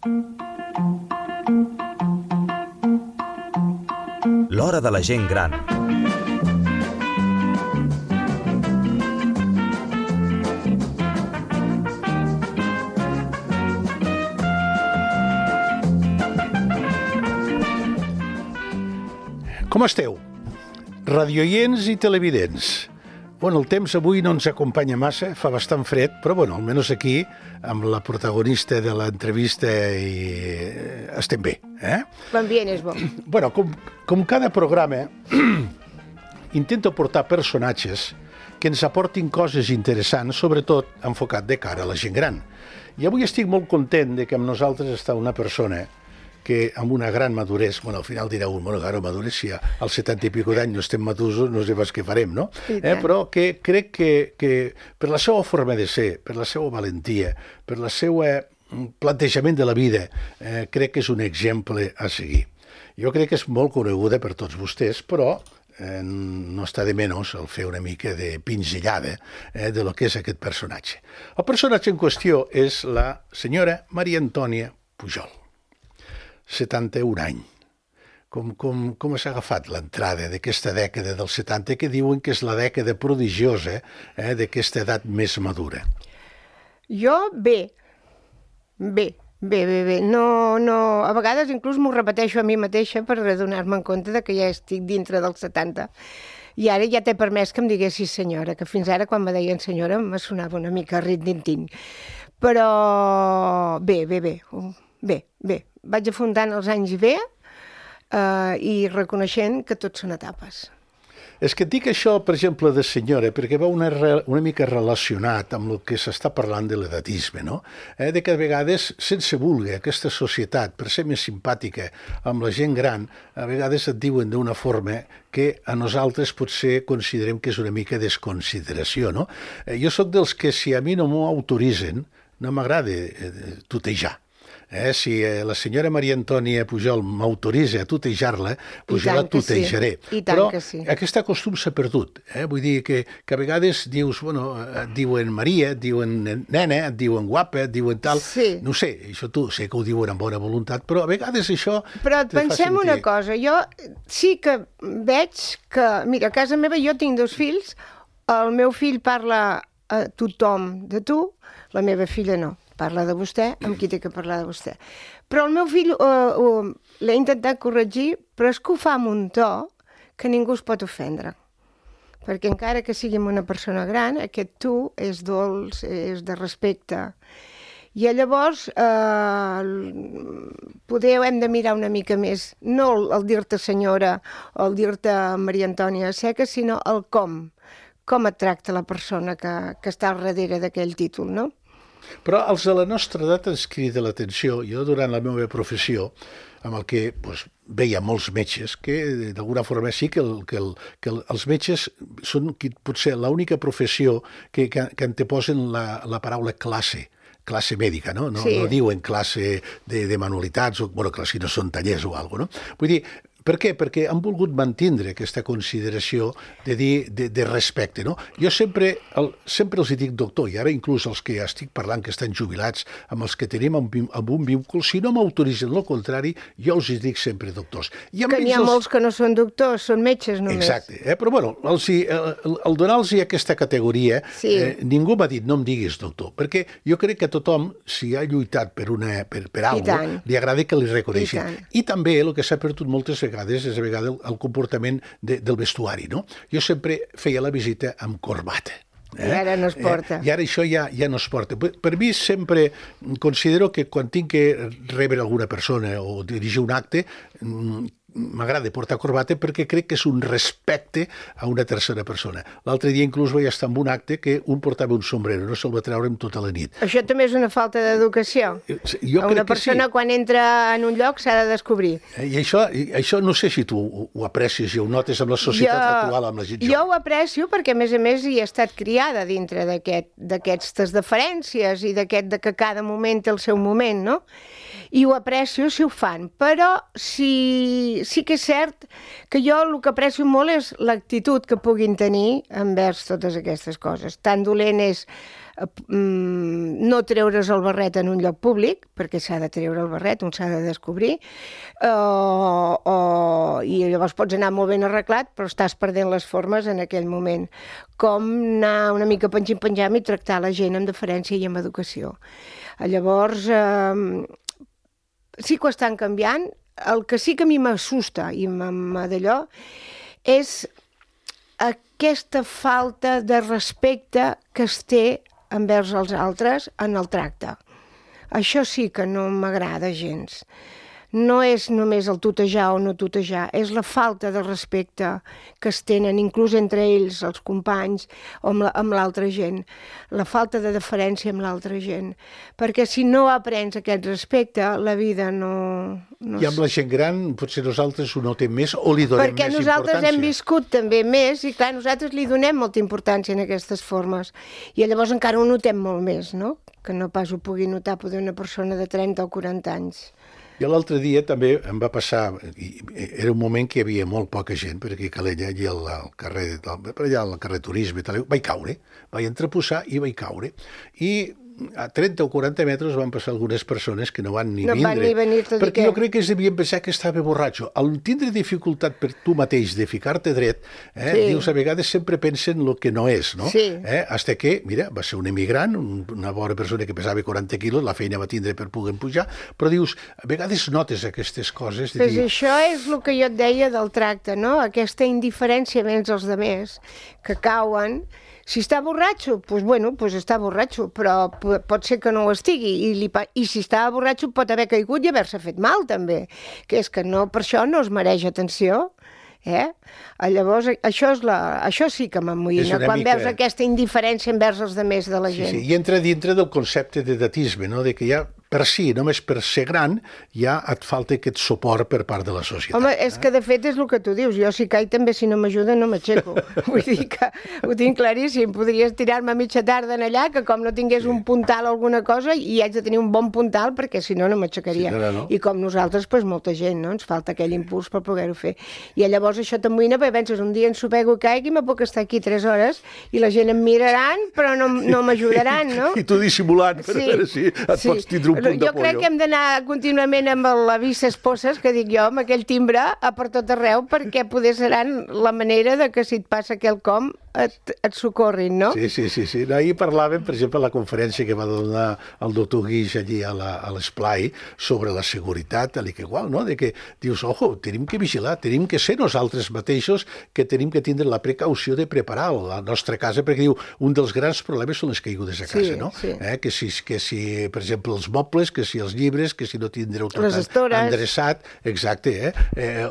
L'hora de la gent gran. Com esteu? Radioients i televidents. Bueno, el temps avui no ens acompanya massa, fa bastant fred, però bueno, almenys aquí, amb la protagonista de l'entrevista, estem bé. L'ambient és bo. Bueno, com cada programa, intento portar personatges que ens aportin coses interessants, sobretot enfocat de cara a la gent gran. I avui estic molt content de que amb nosaltres està una persona que amb una gran maduresa, bueno, al final direu, bueno, claro, maduresa, si als 70 i pico d'any no estem madurs, no sé pas què farem, no? Però que crec que per la seva forma de ser, per la seva valentia, per la seva plantejament de la vida, crec que és un exemple a seguir. Jo crec que és molt coneguda per tots vostès, però no està de menys el fer una mica de pinzellada de lo que és aquest personatge. El personatge en qüestió és la senyora Maria Antònia Pujol. 71 anys. Com s'ha agafat l'entrada d'aquesta dècada dels 70, que diuen que és la dècada prodigiosa d'aquesta edat més madura? Jo, bé. No, a vegades inclús m'ho repeteixo a mi mateixa per adonar-me en compte de que ja estic dintre dels 70. I ara ja t'he permès que em diguessis senyora, que fins ara quan me deien senyora me sonava una mica rit-din-tin. Però bé. Vaig afrontant els anys bé i reconeixent que tot són etapes. És que et dic això, per exemple, de senyora, perquè va una mica relacionat amb el que s'està parlant de l'edatisme, no? De que a vegades, sense voler, aquesta societat, per ser més simpàtica amb la gent gran, a vegades et diuen d'una forma que a nosaltres potser considerem que és una mica desconsideració, no? Jo sóc dels que, si a mi no m'ho autoritzen, no m'agrada tutejar. Si la senyora Maria Antònia Pujol m'autoritza a tutejar-la, doncs jo la tutejaré. Però aquest costum s'ha perdut. Vull dir que a vegades dius, bueno, et diuen Maria, et diuen nena, et diuen guapa, et diuen tal. No sé, això tu sé que ho diuen amb bona voluntat, però a vegades això... Però pensem una cosa, jo sí que veig que... Mira, a casa meva jo tinc 2 fills, el meu fill parla a tothom de tu, la meva filla no. Parla de vostè, amb qui té que parlar de vostè. Però el meu fill l'he intentat corregir, però és que ho fa amb un to que ningú es pot ofendre. Perquè encara que sigui una persona gran, aquest tu és dolç, és de respecte. I llavors poder hem de mirar una mica més, no el dir-te senyora o el dir-te Maria Antònia Seca, sinó el com et tracta la persona que està al darrere d'aquell títol, no? Però els de la nostra edat ens crida l'atenció. Jo, durant la meva professió, amb el que veia molts metges, que d'alguna forma sí que els metges són potser l'única professió que anteposen la paraula classe mèdica, no? No diuen classe de manualitats, o si no són tallers o alguna cosa, no? Vull dir, per què? Perquè han volgut mantindre aquesta consideració de dir de respecte, no? Jo sempre els dic doctor, i ara inclús els que estic parlant que estan jubilats, amb els que tenim amb un vínculum, si no m'autoritzen el contrari, jo els dic sempre doctors. Que n'hi ha molts que no són doctors, són metges només. Exacte, però bueno, al donar-los aquesta categoria, ningú m'ha dit no em diguis doctor, perquè jo crec que tothom, si ha lluitat per alguna cosa, li agrada que li reconeixi. I també el que s'ha perdut moltes vegades és el comportament del vestuari, no? Jo sempre feia la visita amb corbata. I ara no es porta. I ara això ja no es porta. Per mi sempre considero que quan tinc que rebre alguna persona o dirigir un acte, m'agrada portar corbata perquè crec que és un respecte a una tercera persona. L'altre dia inclús vaig estar en un acte que un portava un sombrero, no se'l va treure en tota la nit. Això també és una falta d'educació. Una persona quan entra en un lloc s'ha de descobrir. I això no sé si tu ho aprecies i ho notes amb la societat actual, amb la gent jove. Jo ho aprecio perquè, a més hi he estat criada dintre d'aquestes deferències i de que cada moment té el seu moment, no? I ho aprecio si ho fan, però sí que és cert que jo el que aprecio molt és l'actitud que puguin tenir envers totes aquestes coses. Tan dolent és no treure's el barret en un lloc públic, perquè s'ha de treure el barret, un s'ha de descobrir, i llavors pots anar molt ben arreglat, però estàs perdent les formes en aquell moment. Com anar una mica penjant i tractar la gent amb deferència i amb educació. Llavors, sí que ho estan canviant. El que sí que a mi m'assusta i d'allò és aquesta falta de respecte que es té envers els altres en el tracte. Això sí que no m'agrada gens. No és només el tutejar o no tutejar, és la falta de respecte que es tenen, inclús entre ells, els companys, o amb l'altra gent. La falta de deferència amb l'altra gent. Perquè si no aprens aquest respecte, la vida no... I amb la gent gran, potser nosaltres ho notem més o li donem més importància. Perquè nosaltres hem viscut també més i, clar, nosaltres li donem molta importància en aquestes formes. I llavors encara ho notem molt més, no? Que no pas ho pugui notar poder una persona de 30 o 40 anys. I l'altre dia també em va passar, era un moment que hi havia molt poca gent, perquè a Calella, allà al carrer Turisme, vaig caure, vaig entreposar i vaig caure. I a 30 o 40 metres van passar algunes persones que no van ni vindre. No van ni venir, tot i perquè jo crec que es devien pensar que estava borratxo. Al tindre dificultat per tu mateix de ficar-te dret, dius, a vegades sempre pensen el que no és, no? Sí. Hasta que, mira, va ser un emigrant, una bona persona que pesava 40 quilos, la feina va tindre per poder pujar, però dius, a vegades notes aquestes coses. Pues això és el que jo et deia del tracte, no? Aquesta indiferència vers els altres que cauen. Si està borratxo, doncs bueno, està borratxo, però pot ser que no ho estigui, i si està borratxo pot haver caigut i haver-se fet mal, també, que és que no, per això no es mereix atenció. Llavors, això sí que m'amoïna, quan veus aquesta indiferència envers els altres de la gent. Sí, i entra dintre del concepte d'edatisme, no? De que ja per si, només per ser gran, ja et falta aquest suport per part de la societat. Home, és que de fet és el que tu dius. Jo si caic també, si no m'ajuda, no m'aixeco. Vull dir que ho tinc claríssim. Podries tirar-me a mitja tarda en allà, que com no tingués un puntal o alguna cosa, i haig de tenir un bon puntal, perquè si no, no m'aixecaria. Sí, no. I com nosaltres, doncs molta gent, no? Ens falta aquell impuls per poder-ho fer. I llavors això t'amoïna, perquè penses, un dia ensopego i caigui, me puc estar aquí 3 hores, i la gent em miraran, però no m'ajudaran, no? I tu dissimulant, per veure si et pots tindre un punt de pollo. Jo crec que hem d'anar contínuament amb l'avís esposes, que dic jo, amb aquell timbre per tot arreu, perquè poder seran la manera de que si et passa quelcom et socorrin, no? Sí. Ahir parlàvem, per exemple, a la conferència que va donar el doctor Guix allí a l'Esplai sobre la seguretat, igual, no? De que dius, ojo, tenim que vigilar, tenim que ser nosaltres mateixos que tenim que tindre la precaució de preparar la nostra casa, perquè diu, un dels grans problemes són les caigudes a casa, no? Sí. Que si, per exemple, els mobles, que si els llibres, que si no tindreu tot endreçat, exacte,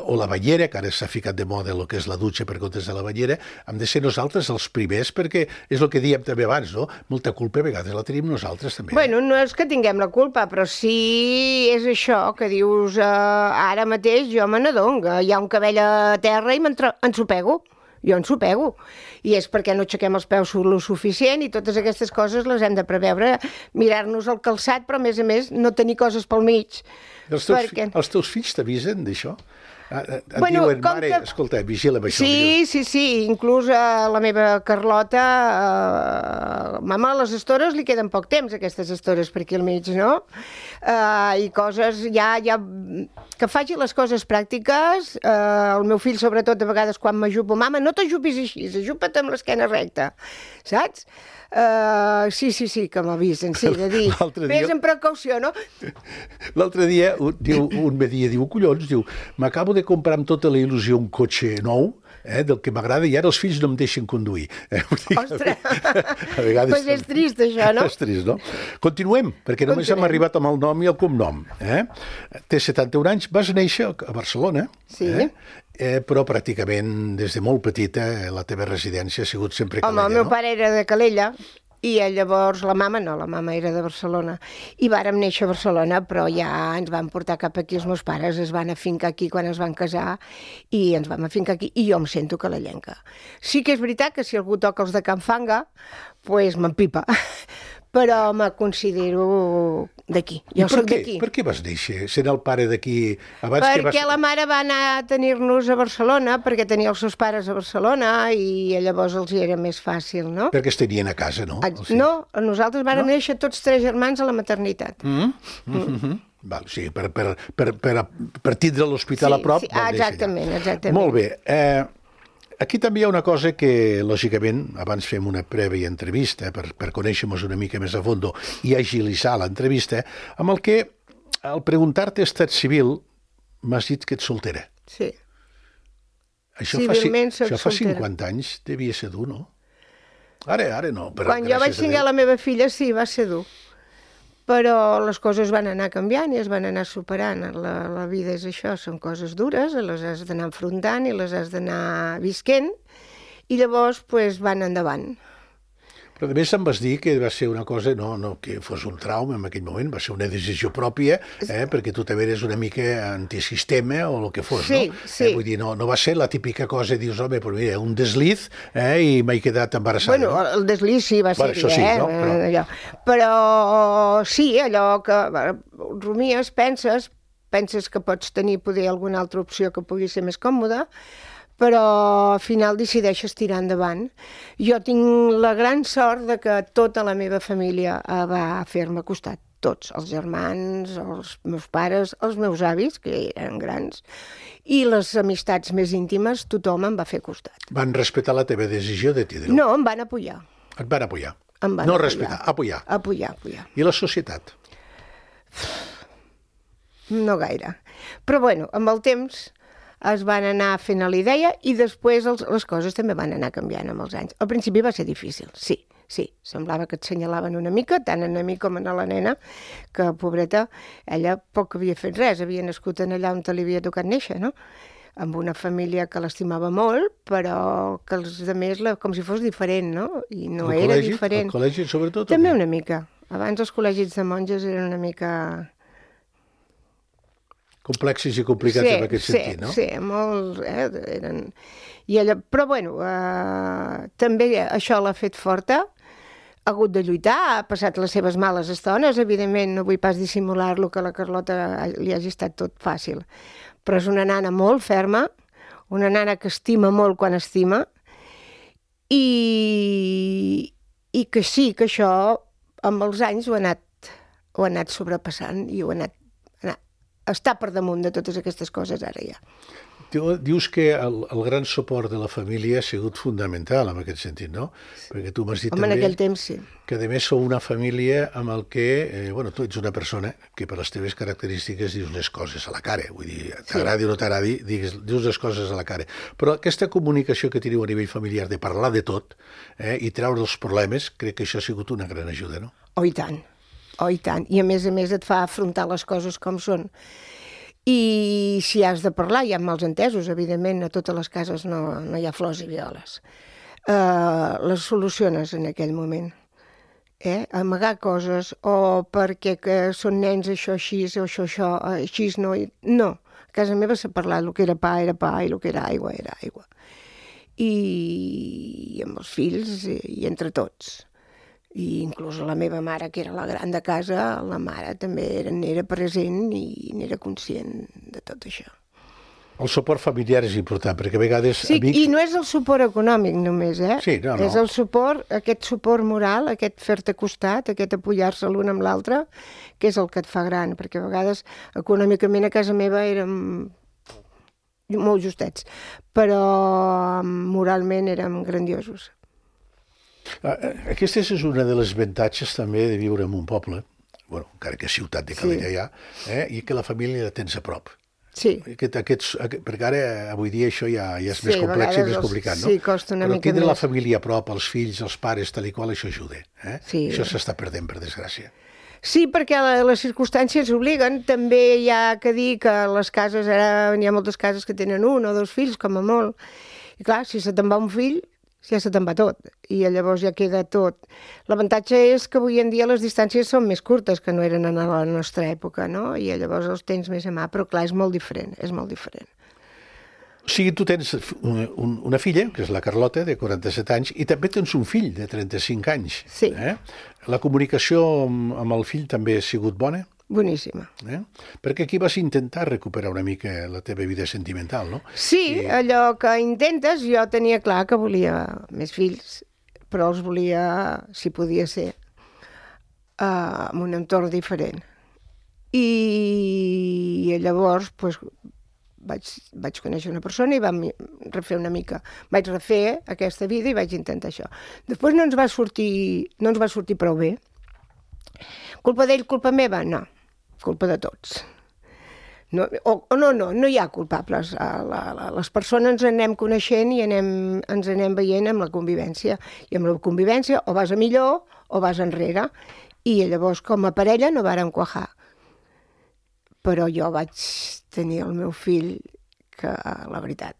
o la banyera, que ara s'ha ficat de moda el que és la dutxa per comptes de la banyera, hem de ser nosaltres els primers, perquè és el que dèiem també abans, no? Molta culpa a vegades la tenim nosaltres també. Bueno, no és que tinguem la culpa, però sí és això que dius, ara mateix jo me n'adono, hi ha un cabell a terra i ensopego. Jo ensopego. I és perquè no aixequem els peus lo suficient i totes aquestes coses les hem de preveure, mirar-nos el calçat, però a més no tenir coses pel mig. Els teus fills t'avisen d'això? Et diuen, mare, escolta, vigila amb això. Sí, inclús la meva Carlota, mama, a les estores li queden poc temps, aquestes estores per aquí al mig, no? I coses, ja que faci les coses pràctiques, el meu fill, sobretot, a vegades quan m'ajupo, mama, no t'ajupis així, ajupa't amb l'esquena recta, saps? Sí, que m'avisen, sí, de dir, vés amb precaució, no? L'altre dia, un me diu, collons, m'acabo de comprar amb tota la il·lusió un cotxe nou, del que m'agrada, i ara els fills no em deixen conduir. Ostres, doncs és trist això, no? És trist, no? Continuem, perquè només hem arribat amb el nom i el cognom. Té 71 anys, vas néixer a Barcelona, però pràcticament des de molt petita la teva residència ha sigut sempre Calella, no? Home, el meu pare era de Calella, i llavors la mama era de Barcelona. I vàrem néixer a Barcelona, però ja ens van portar cap aquí, els meus pares es van afincar aquí quan es van casar, i ens vam afincar aquí, i jo em sento calellenca. Sí que és veritat que si algú toca els de Can Fanga, doncs m'empipa. però me considero d'aquí. Jo soc d'aquí. Per què vas néixer, sent el pare d'aquí? Perquè la mare va anar a tenir-nos a Barcelona, perquè tenia els seus pares a Barcelona i llavors els hi era més fàcil, no? Perquè es tenien a casa, no? No, nosaltres vàrem néixer tots 3 germans a la maternitat. Val, sí, per tindre l'hospital a prop. Sí, exactament. Molt bé. Aquí també hi ha una cosa que, lògicament, abans fem una prèvia entrevista per conèixer-nos una mica més a fons i agilitzar l'entrevista, amb el que, al preguntar-te estat civil, m'has dit que ets soltera. Sí. Civilment soc soltera. Això fa 50 anys devia ser dur, no? Ara no. Quan jo vaig tenir la meva filla, sí, va ser dur. Però les coses van anar canviant i es van anar superant. La vida és això, són coses dures, les has d'anar enfrontant i les has d'anar visquent, i llavors van endavant. Però a més em vas dir que va ser una cosa, no que fos un trauma en aquell moment, va ser una decisió pròpia, perquè tu també eres una mica antisistema o el que fos, no? Sí. Vull dir, no va ser la típica cosa, dius, home, però mira, un desliz i m'he quedat embarassada. Bueno, no? El desliz sí va ser, això sí, no? Però sí, allò que rumies, penses que pots tenir poder alguna altra opció que pugui ser més còmoda, però al final decideixes tirar endavant. Jo tinc la gran sort de que tota la meva família va fer-me costat. Tots, els germans, els meus pares, els meus avis, que eren grans, i les amistats més íntimes, tothom em va fer costat. Van respectar la teva decisió de tindre-ho? No, em van apoyar. Et van apoyar? No respectar, apoyar. Apoyar. I la societat? No gaire. Però bueno, amb el temps es van anar fent a la idea i després les coses també van anar canviant amb els anys. Al principi va ser difícil, sí. Semblava que et senyalaven una mica, tant a mi com a la nena, que, pobreta, ella poc havia fet res, havia nascut allà on te li havia tocat néixer, no? Amb una família que l'estimava molt, però que els altres com si fos diferent, no? I no era diferent. El col·legi, sobretot? També una mica. Abans els col·legis de monges eren una mica complexes i complicats en aquest sentit, no? Sí, molt. Però bueno, també això l'ha fet forta, ha hagut de lluitar, ha passat les seves males estones, evidentment no vull pas dissimular-lo que a la Carlota li hagi estat tot fàcil, però és una nana molt ferma, una nana que estima molt quan estima, i que sí, que això amb els anys ho ha anat sobrepassant i ho ha anat està per damunt de totes aquestes coses ara ja. Dius que el gran suport de la família ha sigut fundamental en aquest sentit, no? Perquè tu m'has dit també en aquell temps sí. Que a més sou una família amb el que, tu ets una persona que per les teves característiques dius les coses a la cara, vull dir, t'agradi o no t'agradi, dius les coses a la cara. Però aquesta comunicació que teniu a nivell familiar de parlar de tot i treure els problemes, crec que això ha sigut una gran ajuda, no? Oh, i tant. I a més et fa afrontar les coses com són. I si has de parlar, hi ha malentesos, evidentment, a totes les cases no hi ha flors i violes. Les soluciones en aquell moment. Amagar coses, o perquè són nens això així, o això així no. No, a casa meva s'ha parlat, el que era pa, i el que era aigua. I amb els fills, i entre tots. I inclús la meva mare, que era la gran de casa, la mare també n'era present i n'era conscient de tot això. El suport familiar és important, perquè a vegades... Sí, i no és el suport econòmic només, Sí, no. És el suport, aquest suport moral, aquest fer-te costat, aquest apoyar-se l'un amb l'altre, que és el que et fa gran, perquè a vegades econòmicament a casa meva érem molt justets, però moralment érem grandiosos. Aquesta és una de les avantatges també de viure en un poble, encara que ciutat de Calella ja, i que la família la tens a prop. Sí. Perquè ara, avui dia, això ja és més complex i més complicat, no? Sí, costa una mica més. Però tindre la família a prop, els fills, els pares, tal i qual, això ajuda. Sí. Això s'està perdent, per desgràcia. Sí, perquè les circumstàncies obliguen. També hi ha que dir que les cases, ara hi ha moltes cases que tenen 1 o 2 fills, com a molt. I clar, si se te'n va un fill, ja se te'n va tot, i llavors ja queda tot. L'avantatge és que avui en dia les distàncies són més curtes que no eren en la nostra època, no? I llavors els tens més a mà, però clar, és molt diferent. O sigui, tu tens una filla, que és la Carlota, de 47 anys, i també tens un fill de 35 anys. Sí. La comunicació amb el fill també ha sigut bona? Boníssima. Perquè aquí vas intentar recuperar una mica la teva vida sentimental, no? Sí, allò que intentes, jo tenia clar que volia més fills, però els volia, si podia ser, en un entorn diferent. I llavors, doncs, vaig conèixer una persona i vam refer una mica. Vaig refer aquesta vida i vaig intentar això. Després no ens va sortir prou bé. Culpa d'ell, culpa meva? No. Culpa de tots. No hi ha culpables. Les persones ens anem coneixent i ens anem veient amb la convivència. I amb la convivència o vas a millor o vas enrere. I llavors, com a parella, no vàrem quajar. Però jo vaig tenir el meu fill que, la veritat...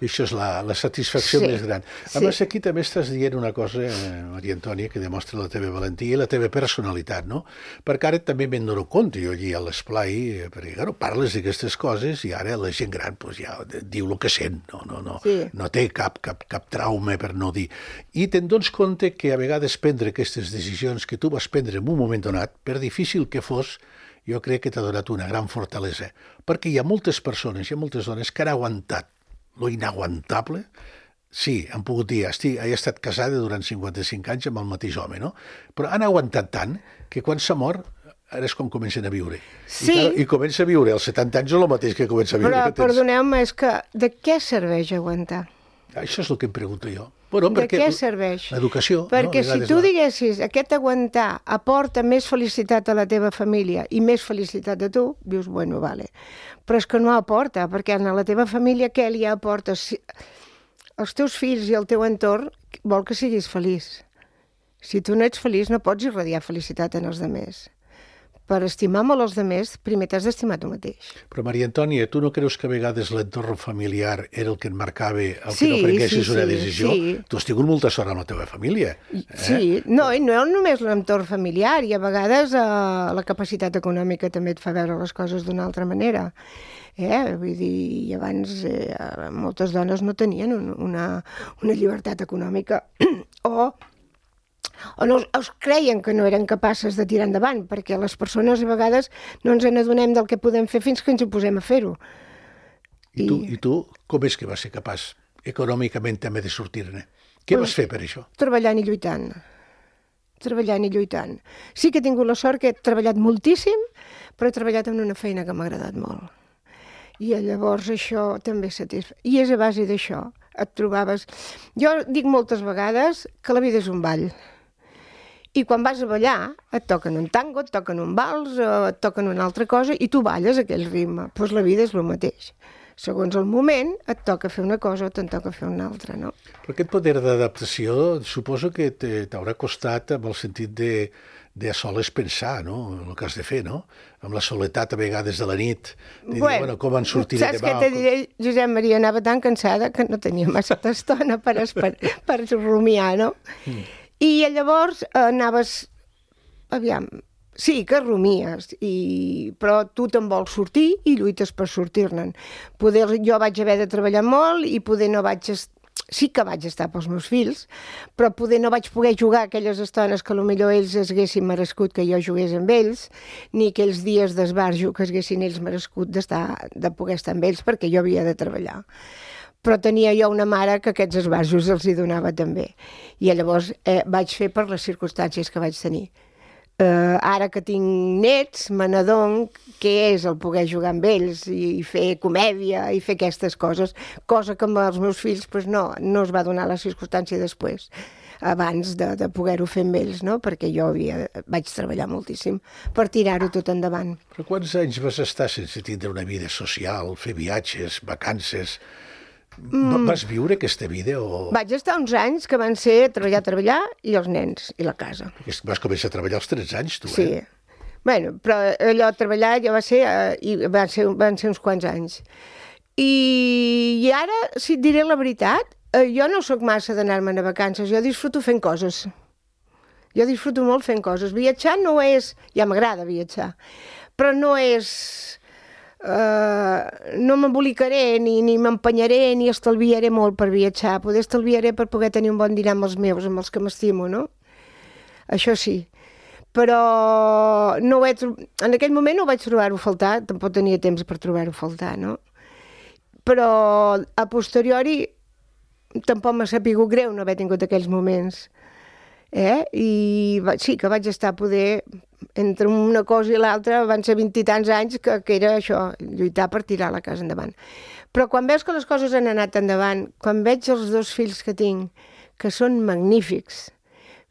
I això és la satisfacció més gran. A més, aquí també estàs dient una cosa, Maria Antònia, que demostra la teva valentia i la teva personalitat, no? Perquè ara també me'n dono compte, jo allí a l'esplai, perquè, claro, parles d'aquestes coses i ara la gent gran pues, ja diu el que sent, no té cap trauma per no dir. I te'n dones compte que a vegades prendre aquestes decisions que tu vas prendre en un moment donat, per difícil que fos, jo crec que t'ha donat una gran fortalesa, perquè hi ha moltes persones, hi ha moltes dones que han aguantat lo inaguantable. Sí, han pogut dir, he estat casada durant 55 anys amb el mateix home, no? Però han aguantat tant que quan s'ha mort, ara és com comencen a viure. Sí. I comença a viure als 70 anys és el mateix que comença a viure. Però, perdoneu-me, és que de què serveix aguantar? Això és el que em pregunto jo. Bueno, de què serveix? L'educació. Perquè si tu diguessis aquest aguantar aporta més felicitat a la teva família i més felicitat a tu, dius, bueno, vale. Però és que no aporta, perquè a la teva família què li aporta? Els teus fills i el teu entorn vol que siguis feliç. Si tu no ets feliç no pots irradiar felicitat en els altres. Per estimar molt els altres, primer t'has d'estimar tu mateix. Però, Maria Antònia, tu no creus que a vegades l'entorn familiar era el que et marcava el que no prenguessis una decisió? Sí. Tu has tingut molta sort amb la teva família. Sí, no només l'entorn familiar, i a vegades la capacitat econòmica també et fa veure les coses d'una altra manera. Vull dir, abans moltes dones no tenien una llibertat econòmica o no es creien que no eren capaces de tirar endavant, perquè les persones a vegades no ens n'adonem del que podem fer fins que ens hi posem a fer-ho. I tu com és que vas ser capaç econòmicament també de sortir-ne? Què vas fer per això? Treballant i lluitant. Sí que he tingut la sort que he treballat moltíssim, però he treballat en una feina que m'ha agradat molt. I llavors això també satisfà. I és a base d'això. Et trobaves... Jo dic moltes vegades que la vida és un ball. I quan vas a ballar, et toquen un tango, et toquen un vals, et toquen una altra cosa, i tu balles aquell ritme. Doncs la vida és el mateix. Segons el moment, et toca fer una cosa o te'n toca fer una altra, no? Però aquest poder d'adaptació suposo que t'haurà costat amb el sentit de a soles pensar, no?, el que has de fer, no? Amb la soledat a vegades de la nit, de dir, com en sortiré demà. Saps què te diré, Josep Maria? Anava tan cansada que no tenia massa estona per rumiar, no? I llavors anaves... Aviam, sí, que rumies, però tu te'n vols sortir i lluites per sortir-ne'n. Jo vaig haver de treballar molt i poder no vaig... Sí que vaig estar pels meus fills, però poder no vaig poder jugar aquelles estones que potser ells haguessin merescut que jo jugués amb ells, ni aquells dies d'esbarjo que haguessin ells merescut de poder estar amb ells, perquè jo havia de treballar. Però tenia jo una mare que aquests esbarjos els hi donava també. I llavors vaig fer per les circumstàncies que vaig tenir. Ara que tinc nets, me n'adono què és el poder jugar amb ells i fer comèdia i fer aquestes coses, cosa que amb els meus fills no es va donar la circumstància després, abans de poder-ho fer amb ells, no? Perquè jo vaig treballar moltíssim per tirar-ho tot endavant. Però quants anys vas estar sense tindre una vida social, fer viatges, vacances? Vas viure aquesta vida o...? Vaig estar uns anys que van ser treballar i els nens i la casa. Vas començar a treballar als 13 anys, tu, Sí. Bueno, però allò treballar ja van ser uns quants anys. I ara, si et diré la veritat, jo no sóc massa d'anar-me'n a vacances, jo disfruto fent coses. Jo disfruto molt fent coses. Viatjar no és... Ja m'agrada viatjar, però no és... no m'embolicaré, ni m'empenyaré, ni estalviaré molt per viatjar. Poder estalviaré per poder tenir un bon dinar amb els meus, amb els que m'estimo, no? Això sí. Però no en aquell moment no vaig trobar-ho a faltar, tampoc tenia temps per trobar-ho a faltar, no? Però a posteriori tampoc m'ha sapigut greu no haver tingut aquells moments. I sí que vaig estar poder, entre una cosa i l'altra, van ser 20 i tants anys que era això, lluitar per tirar la casa endavant. Però quan veus que les coses han anat endavant, quan veig els 2 fills que tinc, que són magnífics,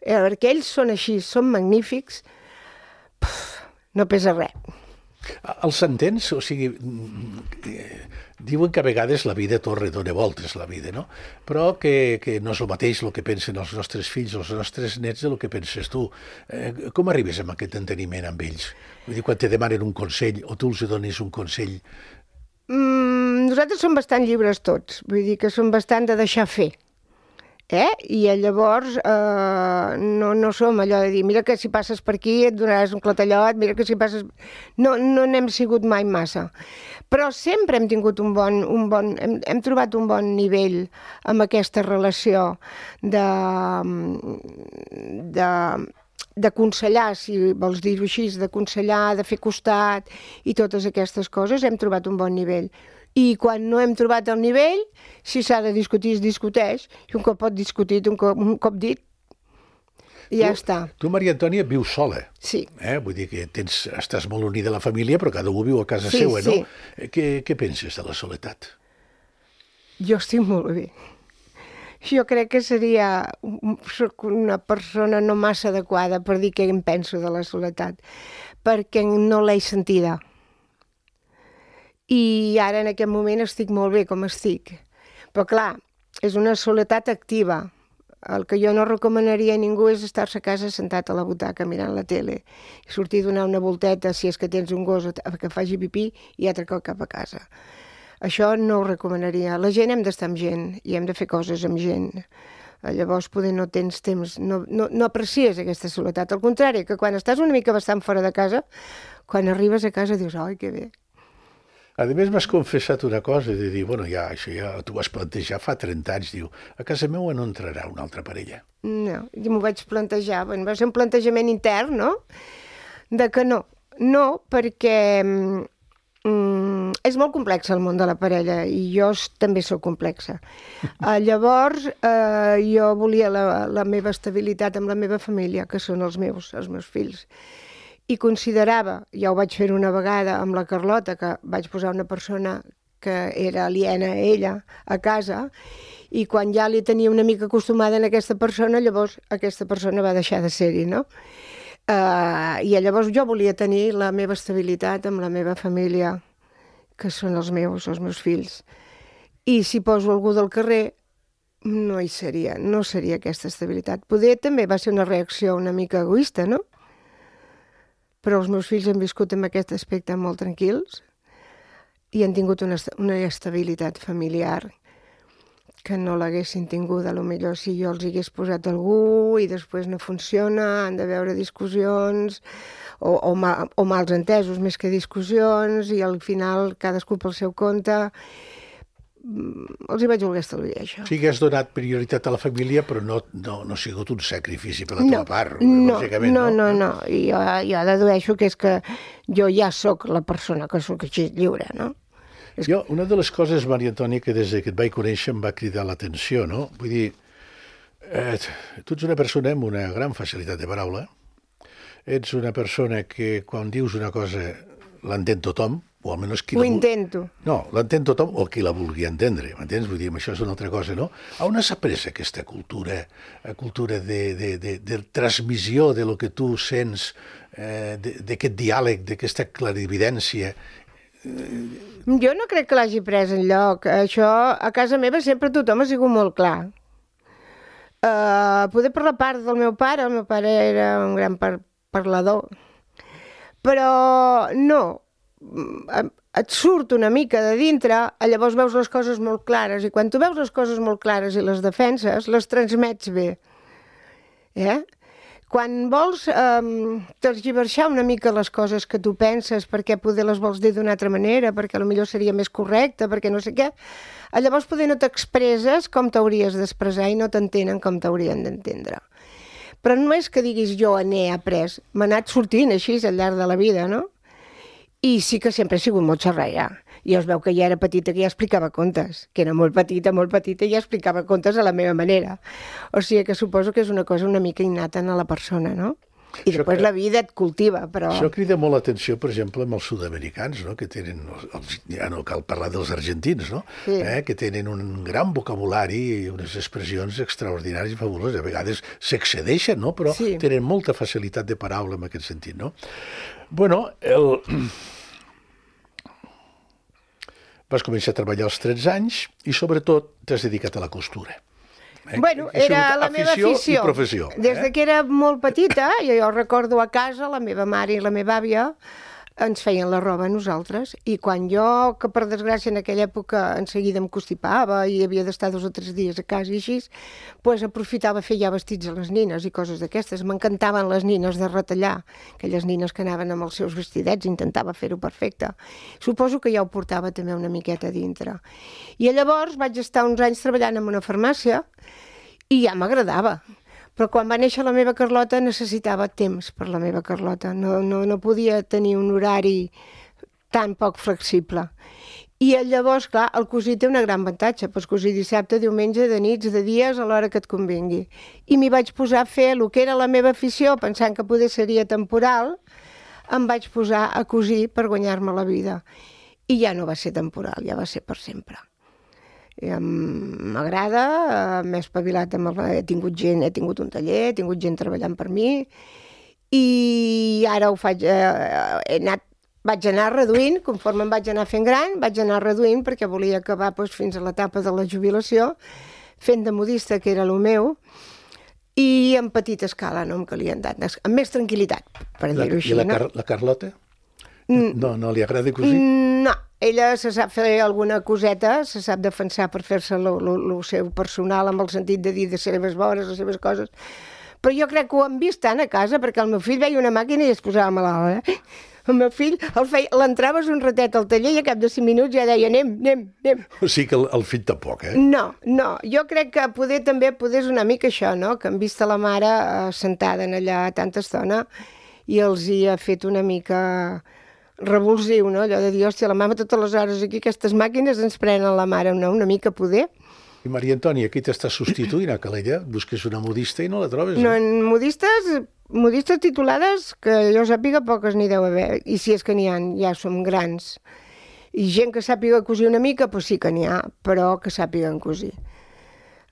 perquè ells són així, són magnífics, no pesa res. Els entens? O sigui, diuen que a vegades la vida dona voltes, la vida, no? Però que no és el mateix el que pensen els nostres fills, els nostres nets, del que penses tu. Com arribes a aquest enteniment amb ells? Vull dir, quan te demanen un consell o tu els dones un consell? Nosaltres som bastant lliures tots, vull dir que som bastant de deixar fer. I llavors no som allò de dir mira que si passes per aquí et donaràs un clatellot, mira que si passes... No n'hem sigut mai massa. Però sempre hem tingut hem trobat un bon nivell amb aquesta relació d'aconsellar, si vols dir-ho així, d'aconsellar, de fer costat i totes aquestes coses, hem trobat un bon nivell. I quan no hem trobat el nivell, si s'ha de discutir, es discuteix, i un cop pot discutir, un cop dit, i ja està. Tu, Maria Antònia, vius sola. Sí. Vull dir que estàs molt unida a la família, però cada un viu a casa seva, no? Què penses de la soledat? Jo estic molt bé. Jo crec que soc una persona no massa adequada per dir què em penso de la soledat, perquè no l'he sentida. I ara en aquest moment estic molt bé com estic. Però clar, és una soledat activa. El que jo no recomanaria a ningú és estar-se a casa sentat a la butaca mirant la tele i sortir a donar una volteta si és que tens un gos que faci pipí i altre cop cap a casa. Això no ho recomanaria. La gent hem d'estar amb gent i hem de fer coses amb gent. Llavors poder no tens temps, no aprecies aquesta soledat. Al contrari, que quan estàs una mica bastant fora de casa, quan arribes a casa dius, oi, que bé. A més, m'has confessat una cosa, de dir, bueno, això ja t'ho vas plantejar fa 30 anys, diu, a casa meva no entrarà una altra parella. No, jo m'ho vaig plantejar, va ser un plantejament intern, no? De que no. No, perquè és molt complex el món de la parella i jo també sóc complexa. Llavors, jo volia la meva estabilitat amb la meva família, que són els meus fills. I considerava, ja ho vaig fer una vegada amb la Carlota, que vaig posar una persona que era aliena a ella a casa, i quan ja li tenia una mica acostumada a aquesta persona, llavors aquesta persona va deixar de ser-hi, no? I llavors jo volia tenir la meva estabilitat amb la meva família, que són els meus fills. I si poso algú del carrer, no seria aquesta estabilitat. Poder també va ser una reacció una mica egoista, no? Però els meus fills han viscut en aquest aspecte molt tranquils i han tingut una estabilitat familiar que no l'haguessin tingut, potser si jo els hagués posat algú i després no funciona, han de veure discussions o mals entesos més que discussions i al final cadascú pel seu compte. Els hi vaig voler estalviar, això. Sí que has donat prioritat a la família, però no ha sigut un sacrifici per la teva part. No. I jo dedueixo que és que jo ja sóc la persona que sóc així lliure, no? Una de les coses, Maria Antònia, que des que et vaig conèixer em va cridar l'atenció, no? Vull dir, tu ets una persona amb una gran facilitat de paraula, ets una persona que quan dius una cosa l'entén tothom, o almenys qui ho intento. No, l'entén tothom o qui la vulgui entendre, m'entens? Vull dir, això és una altra cosa, no? On has après aquesta cultura de transmissió de lo que tu sents, d'aquest diàleg, d'aquesta clarividència? Jo no crec que l'hagi pres enlloc. Això, a casa meva sempre tothom ha sigut molt clar. Poder per la part del meu pare, el meu pare era un gran parlador, però no, et surt una mica de dintre, llavors veus les coses molt clares, i quan tu veus les coses molt clares i les defenses, les transmets bé. quan vols tergiversar una mica les coses que tu penses perquè poder les vols dir d'una altra manera, perquè potser seria més correcte, perquè no sé què, llavors poder no t'expresses com t'hauries d'expressar i no t'entenen com t'haurien d'entendre. Però no és que diguis jo n'he après, m'ha anat sortint així al llarg de la vida, no? I sí que sempre he sigut molt xerraire. I es veu que ja era petita, que ja explicava contes, que era molt petita, i ja explicava contes a la meva manera. O sigui que suposo que és una cosa una mica innata en la persona, no? I després la vida et cultiva, però... Això crida molt l'atenció, per exemple, amb els sud-americans, no? Que tenen, ja no cal parlar dels argentins, no? Sí. Que tenen un gran vocabulari i unes expressions extraordinàries i fabuloses. A vegades s'excedeixen, no? Però sí, tenen molta facilitat de paraula en aquest sentit, no? Bueno, vas començar a treballar als 13 anys i, sobretot, t'has dedicat a la costura. Bueno, era la meva afició. I professió. Des de que era molt petita, jo recordo a casa, la meva mare i la meva àvia ens feien la roba a nosaltres, i quan jo, que per desgràcia en aquella època en seguida em constipava i havia d'estar 2 o 3 dies a casa i així, doncs aprofitava a fer ja vestits a les nines i coses d'aquestes. M'encantaven les nines de retallar, aquelles nines que anaven amb els seus vestidets, intentava fer-ho perfecte. Suposo que ja ho portava també una miqueta dintre. I llavors vaig estar uns anys treballant en una farmàcia i ja m'agradava. Però quan va néixer la meva Carlota necessitava temps per la meva Carlota. No podia tenir un horari tan poc flexible. I llavors, clar, el cosir té una gran avantatge. Pots cosir dissabte, diumenge, de nits, de dies, a l'hora que et convingui. I m'hi vaig posar a fer el que era la meva afició, pensant que poder seria temporal, em vaig posar a cosir per guanyar-me la vida. I ja no va ser temporal, ja va ser per sempre. M'agrada, m'he espavilat, he tingut un taller, he tingut gent treballant per mi i ara ho faig, vaig anar reduint, conforme em vaig anar fent gran, vaig anar reduint perquè volia acabar fins a l'etapa de la jubilació fent de modista, que era el meu, i en petita escala, no em calia tant, amb més tranquil·litat, per dir-ho així. I la Carlota? No li agrada cosir? No, ella se sap fer alguna coseta, se sap defensar per fer-se el seu personal, amb el sentit de dir de seves vores, les seves coses. Però jo crec que ho han vist tant a casa, perquè el meu fill veia una màquina i es posava malalt, El meu fill l'entraves un ratet al taller i a cap de 5 minuts ja deia anem. O sigui que el fill tampoc, No, jo crec que també és una mica això, no? Que han vist a la mare sentada allà tanta estona i els hi ha fet una mica revulsiu, no? Allò de dir, hòstia, la mama totes les hores aquí, aquestes màquines ens prenen la mare, no? Una mica poder. I Maria Antònia, aquí t'està substituint a Calella? Busques una modista i no la trobes? No, modistes titulades, que jo sàpiga, poques n'hi deu haver. I si és que n'hi ha, ja som grans. I gent que sàpiga cosir una mica, doncs sí que n'hi ha, però que sàpiguen cosir.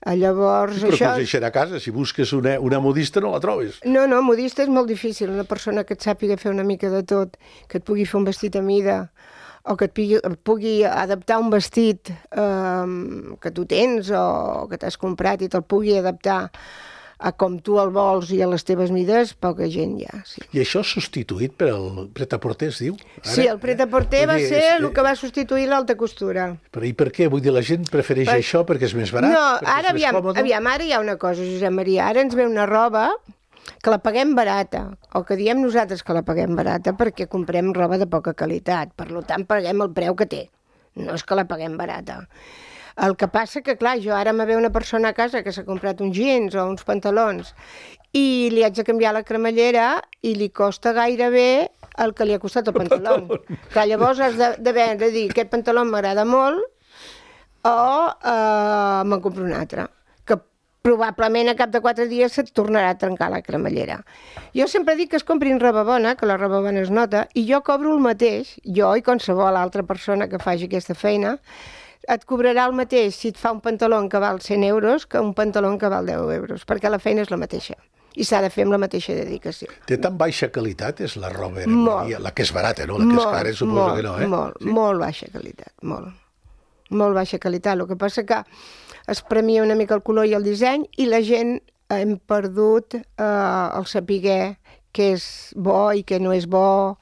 Llavors, però això... coseixerà a casa, si busques una modista no la trobes. No, modista és molt difícil, una persona que et sàpiga fer una mica de tot, que et pugui fer un vestit a mida, o que et pugui adaptar un vestit que tu tens o que t'has comprat i te'l pugui adaptar a com tu el vols i a les teves mides, poca gent hi ha. Sí. I això substituït per el pret-a-porter, es diu? Sí, el pret-a-porter va ser el que va substituir l'alta costura. Però i per què? Vull dir, la gent prefereix això perquè és més barat? No, ara hi ha una cosa, Josep Maria, ara ens ve una roba que la paguem barata, o que diem nosaltres que la paguem barata perquè comprem roba de poca qualitat, per tant paguem el preu que té, no és que la paguem barata. El que passa que, clar, jo ara me ve una persona a casa que s'ha comprat uns jeans o uns pantalons i li haig de canviar la cremallera i li costa gairebé el que li ha costat el pantaló. Clar, llavors has de dir, aquest pantaló m'agrada molt o me'n compro un altre, que probablement a cap de 4 dies se't tornarà a trencar la cremallera. Jo sempre dic que es comprin roba bona, que la roba bona es nota, i jo cobro el mateix, jo i qualsevol altra persona que faci aquesta feina, et cobrarà el mateix si et fa un pantaló que val 100 euros que un pantaló que val 10 euros, perquè la feina és la mateixa i s'ha de fer amb la mateixa dedicació. Té tan baixa qualitat, és la roba, la que és barata, no? La que és cara, suposo que no, Molt baixa qualitat, molt baixa qualitat. El que passa que es premia una mica el color i el disseny i la gent hem perdut el saber què és bo i què no és bo.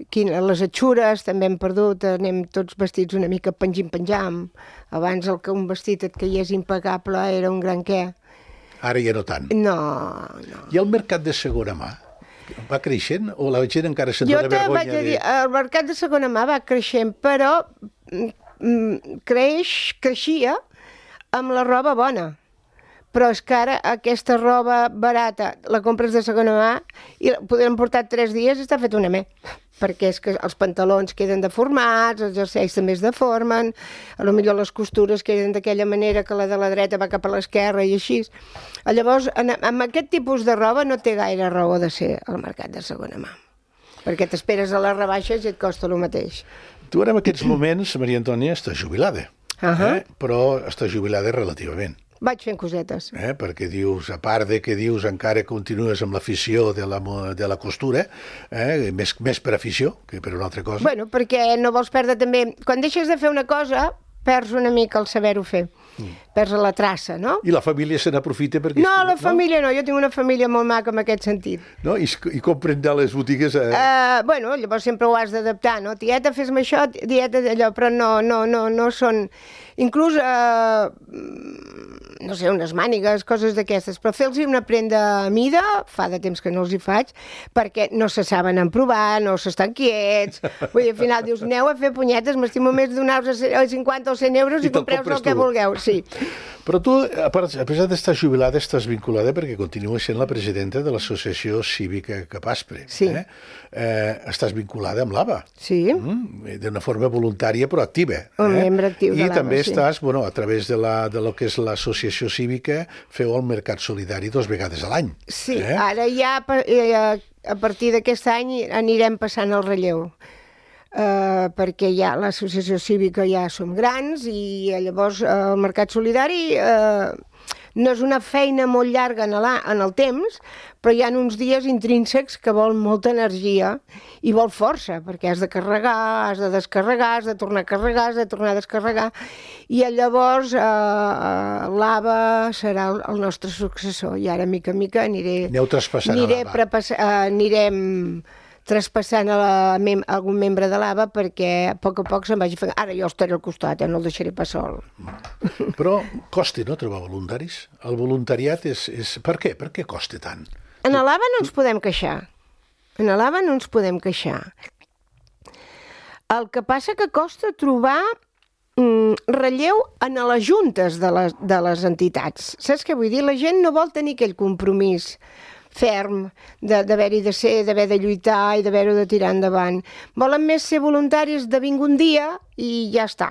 Les atxures també hem perdut, anem tots vestits una mica penjam. Abans un vestit et queies impecable era un gran què. Ara ja no tant. No. I el mercat de segona mà? Va creixent o la gent encara se'n dona vergonya? Jo te vaig dir, el mercat de segona mà va creixent, però creixia amb la roba bona. Però és que ara aquesta roba barata la compres de segona mà i podem portar 3 dies i està fet una me. Perquè és que els pantalons queden deformats, els jerseis també es deformen, potser les costures queden d'aquella manera que la de la dreta va cap a l'esquerra i així. Llavors, amb aquest tipus de roba no té gaire raó de ser al mercat de segona mà, perquè t'esperes a les rebaixes i et costa el mateix. Tu ara en aquests moments, Maria Antònia, estàs jubilada, però estàs jubilada relativament. Vaig fent cosetes. Perquè dius, a part de que dius encara continues amb l'afició de la costura, més per afició que per una altra cosa. Bueno, perquè no vols perdre també... Quan deixes de fer una cosa, perds una mica el saber-ho fer. Perds la traça, no? I la família se n'aprofita perquè... No, la família no. Jo tinc una família molt maca en aquest sentit. No? I compren de les botigues... Bueno, llavors sempre ho has d'adaptar, no? Tieta, fes-me això, tieta, allò, però no són... Inclús, no sé, unes mànigues, coses d'aquestes, però fer-los una prenda a mida, fa de temps que no els hi faig, perquè no se saben emprovar, no s'estan quiets. Vull dir, al final dius, aneu a fer punyetes, m'estimo més donar-vos 50 o 100 euros i compreu-vos el que vulgueu. Sí. Però tu, a pesar d'estar jubilada, estàs vinculada perquè continues sent la presidenta de l'Associació Cívica Capaspre. Sí. Estàs vinculada amb l'ABA. Sí. D'una forma voluntària però activa. Un membre actiu de l'ABA, I també estàs, bueno, a través de lo que és l'associació cívica, feu el Mercat Solidari 2 vegades a l'any. Sí, ara ja a partir d'aquest any anirem passant el relleu. Perquè ja l'associació cívica ja som grans i llavors el Mercat Solidari no és una feina molt llarga en el temps, però hi ha uns dies intrínsecs que vol molta energia i vol força, perquè has de carregar, has de descarregar, has de tornar a carregar, has de tornar a descarregar, i llavors l'ABA serà el nostre successor, i ara mica en mica Aneu traspassant a l'ABA. Anirem traspassant algun membre de l'ABA perquè a poc se'n vagi fent... Ara jo estaré al costat, no el deixaré pas sol. Però costa, no, trobar voluntaris? El voluntariat és... Per què? Per què costa tant? En l'ABA no ens podem queixar. En l'ABA no ens podem queixar. El que passa que costa trobar relleu en les juntes de les entitats. Saps què vull dir? La gent no vol tenir aquell compromís ferm, d'haver-hi de ser, d'haver de lluitar i d'haver-ho de tirar endavant. Volen més ser voluntaris de vinc un dia i ja està.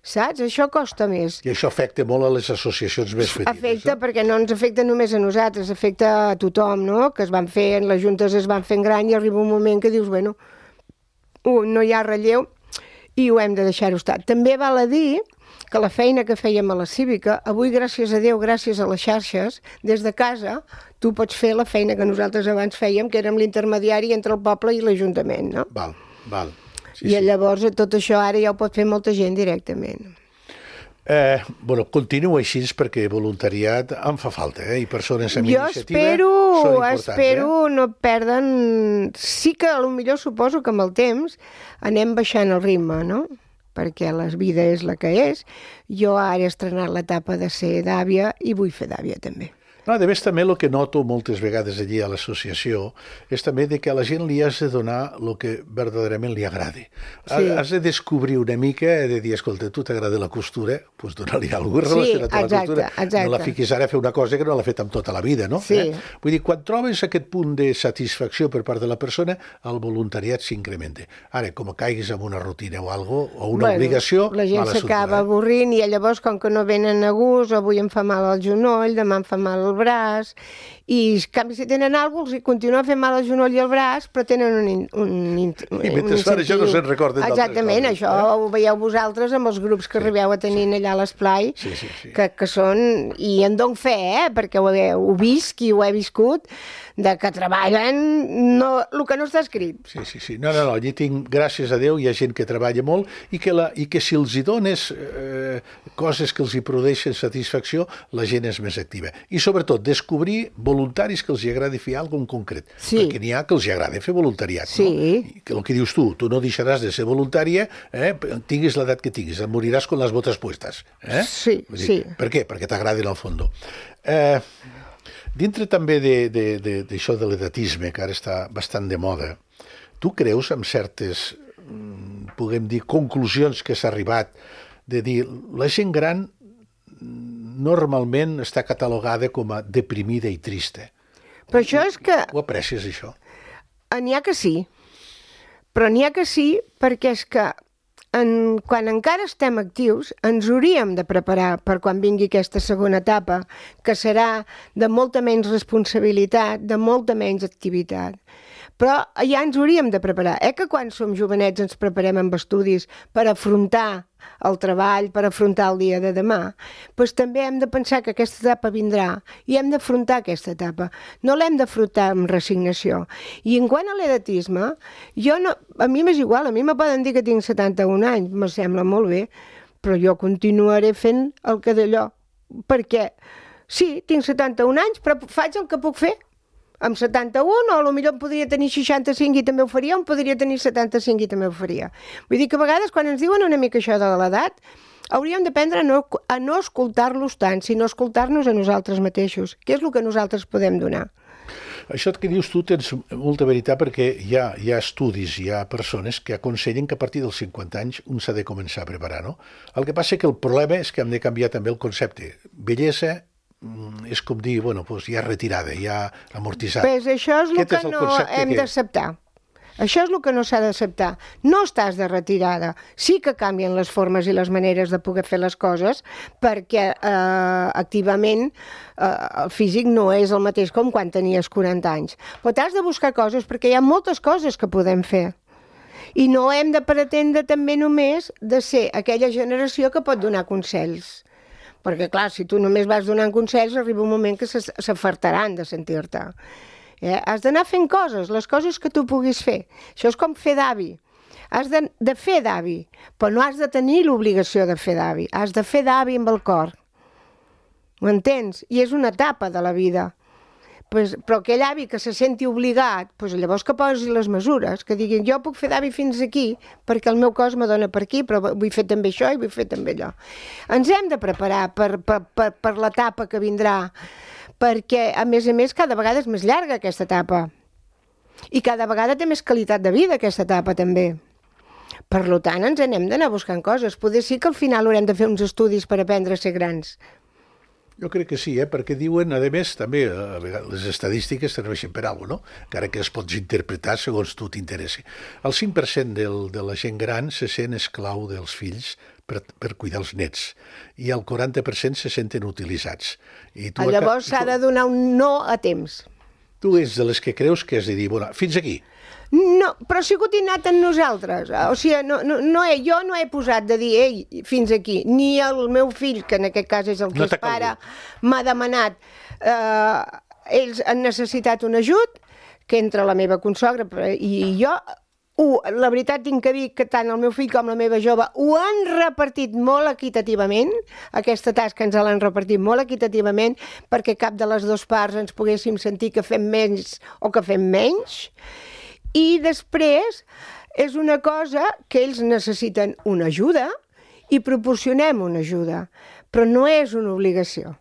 Saps? Això costa més. I això afecta molt a les associacions més petites. Afecta, perquè no ens afecta només a nosaltres, afecta a tothom, no? Que es van fer, les juntes es van fent gran i arriba un moment que dius, bueno, no hi ha relleu i ho hem de deixar-ho estar. També val a dir que la feina que fèiem a la Cívica, avui, gràcies a Déu, gràcies a les xarxes, des de casa, tu pots fer la feina que nosaltres abans fèiem, que érem l'intermediari entre el poble i l'Ajuntament, no? Val. Sí, I llavors tot això ara ja ho pot fer molta gent directament. Bueno, continua així perquè voluntariat em fa falta, i persones amb iniciativa són importants. Jo espero no perden... Sí que potser suposo que amb el temps anem baixant el ritme, no? Perquè la vida és la que és. Jo ara he estrenat l'etapa de ser d'àvia i vull fer d'àvia també. No, a més, també el que noto moltes vegades allí a l'associació és també que a la gent li has de donar el que verdaderament li agradi. Sí. Has de descobrir una mica, de dir, escolta, tu t'agrada la costura, doncs donar-li alguna cosa relacionat a la costura. Exacte. No la fiquis ara a fer una cosa que no l'ha fet amb tota la vida, no? Sí. Vull dir, quan trobes aquest punt de satisfacció per part de la persona, el voluntariat s'incrementa. Ara, com caiguis en una rutina o alguna cosa, o una obligació, la gent s'acaba avorrint i llavors, com que no venen a gust, avui em fa mal el genoll, demà em fa mal el braç, i en canvi si tenen alguna cosa, els continua fent mal el genoll i el braç, però tenen un I mentre fan això no se'n recorden d'altres coses. Exactament, això ho veieu vosaltres amb els grups que arribeu a tenir allà a l'esplai, que són, i en dono fe, perquè ho visc i ho he viscut, de que treballen el que no està escrit. Sí. No, allí tinc, gràcies a Déu, hi ha gent que treballa molt i que si els hi dones coses que els hi produeixen satisfacció, la gent és més activa. I sobretot sobretot, descobrir voluntaris que els agradi fer alguna cosa en concret. Sí. Perquè n'hi ha que els agrada fer voluntariat, Sí. no? Que el que dius tu no deixaràs de ser voluntària, tinguis l'edat que tinguis, et moriràs con les botes puestes. Sí, Vull dir, sí. Per què? Perquè t'agradi en el fons. Dintre també d'això de l'edatisme, que ara està bastant de moda, tu creus en certes, puguem dir, conclusions que s'ha arribat de dir la gent gran normalment està catalogada com a deprimida i trista? Però això és que Ho aprecies, això? n'hi ha que sí, però n'hi ha que sí perquè és que quan encara estem actius ens hauríem de preparar per quan vingui aquesta segona etapa, que serà de molta menys responsabilitat, de molta menys activitat. Però ja ens hauríem de preparar. Que quan som jovenets ens preparem amb estudis per afrontar el treball, per afrontar el dia de demà, doncs també hem de pensar que aquesta etapa vindrà i hem d'afrontar aquesta etapa. No l'hem d'afrontar amb resignació. I en quant a l'edatisme, a mi m'és igual, a mi me poden dir que tinc 71 anys, me sembla molt bé, però jo continuaré fent el que d'allò. Perquè, sí, tinc 71 anys, però faig el que puc fer. Amb 71, o potser podria tenir 65 i també ho faria, o podria tenir 75 i també ho faria. Vull dir que a vegades quan ens diuen una mica això de l'edat, hauríem d'aprendre a no escoltar-los tant, sinó escoltar-nos a nosaltres mateixos, que és el que nosaltres podem donar. Això que dius tu tens molta veritat, perquè hi ha estudis, hi ha persones que aconsellen que a partir dels 50 anys un s'ha de començar a preparar, no? El que passa que el problema és que hem de canviar també el concepte. Bellesa és com dir, bueno, doncs ja retirada, ja amortitzat. Pues això és el que no hem d'acceptar. Això és el que no s'ha d'acceptar. No estàs de retirada. Sí que canvien les formes i les maneres de poder fer les coses perquè activament el físic no és el mateix com quan tenies 40 anys. Però t'has de buscar coses perquè hi ha moltes coses que podem fer. I no hem de pretendre també només de ser aquella generació que pot donar consells. Perquè, clar, si tu només vas donant consells, arriba un moment que s'afartaran de sentir-te. Has d'anar fent coses, les coses que tu puguis fer. Això és com fer d'avi. Has de fer d'avi, però no has de tenir l'obligació de fer d'avi. Has de fer d'avi amb el cor. Ho entens? I és una etapa de la vida. Però aquell avi que se senti obligat, llavors que posi les mesures, que diguin jo puc fer d'avi fins aquí perquè el meu cos me dona per aquí, però vull fer també això i vull fer també allò. Ens hem de preparar per l'etapa que vindrà, perquè a més, cada vegada és més llarga aquesta etapa i cada vegada té més qualitat de vida aquesta etapa també. Per tant, ens n'hem d'anar buscant coses. Potser sí que al final haurem de fer uns estudis per aprendre a ser grans. Jo crec que sí, perquè diuen, a més, també les estadístiques serveixen per alguna cosa, no? Encara que es pots interpretar segons tu t'interessi. El 5% de la gent gran se sent esclau dels fills per cuidar els nets, i el 40% se senten utilitzats. Llavors s'ha de donar un no a temps. Tu ets de les que creus que has de dir, bueno, fins aquí. No, però ha sigut innat en nosaltres. O sigui, jo no he posat de dir, ei, fins aquí. Ni el meu fill, que en aquest cas és el que és pare, m'ha demanat. Ells han necessitat un ajut, que entre la meva consogra i jo, la veritat tinc que dir que tant el meu fill com la meva jove ho han repartit molt equitativament, aquesta tasca ens l'han repartit molt equitativament perquè cap de les dues parts ens poguéssim sentir que fem més o que fem menys. I després és una cosa que ells necessiten una ajuda i proporcionem una ajuda, però no és una obligació.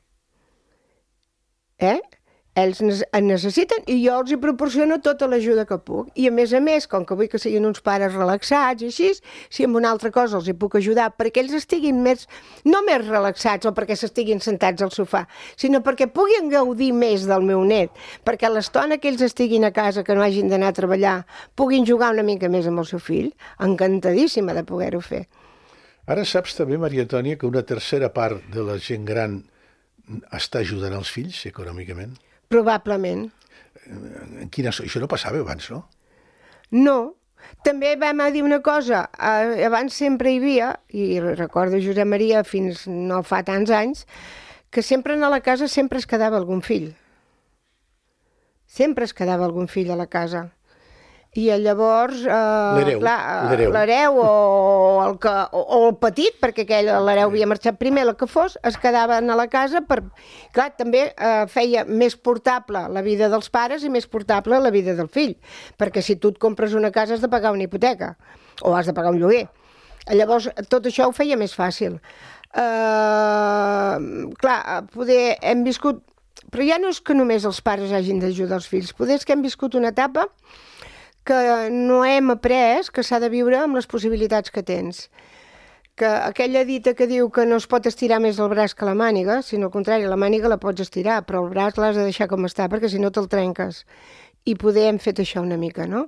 Ells en necessiten i jo els hi proporciono tota l'ajuda que puc. I a més, com que vull que siguin uns pares relaxats i així, si amb una altra cosa els hi puc ajudar perquè ells estiguin no més relaxats o perquè s'estiguin sentats al sofà, sinó perquè puguin gaudir més del meu net, perquè a l'estona que ells estiguin a casa, que no hagin d'anar a treballar, puguin jugar una mica més amb el seu fill, encantadíssima de poder-ho fer. Ara saps també, Maria Antònia, que una tercera part de la gent gran està ajudant els fills econòmicament? Probablement. Això no passava abans, no? No. També vam dir una cosa. Abans sempre hi havia, i recordo Josep Maria fins no fa tants anys, que sempre a la casa sempre es quedava algun fill. Sempre es quedava algun fill a la casa. I llavors, l'hereu o el petit, perquè l'hereu havia marxat primer, el que fos, es quedaven a la casa Clar, també feia més portable la vida dels pares i més portable la vida del fill, perquè si tu et compres una casa has de pagar una hipoteca, o has de pagar un lloguer. Llavors, tot això ho feia més fàcil. Clar, poder hem viscut... Però ja no és que només els pares hagin d'ajudar els fills, poder és que hem viscut una etapa que no hem après que s'ha de viure amb les possibilitats que tens. Que aquella dita que diu que no es pot estirar més el braç que la màniga, sinó al contrari, la màniga la pots estirar, però el braç l'has de deixar com està, perquè si no te'l trenques. I poder hem fet això una mica, no?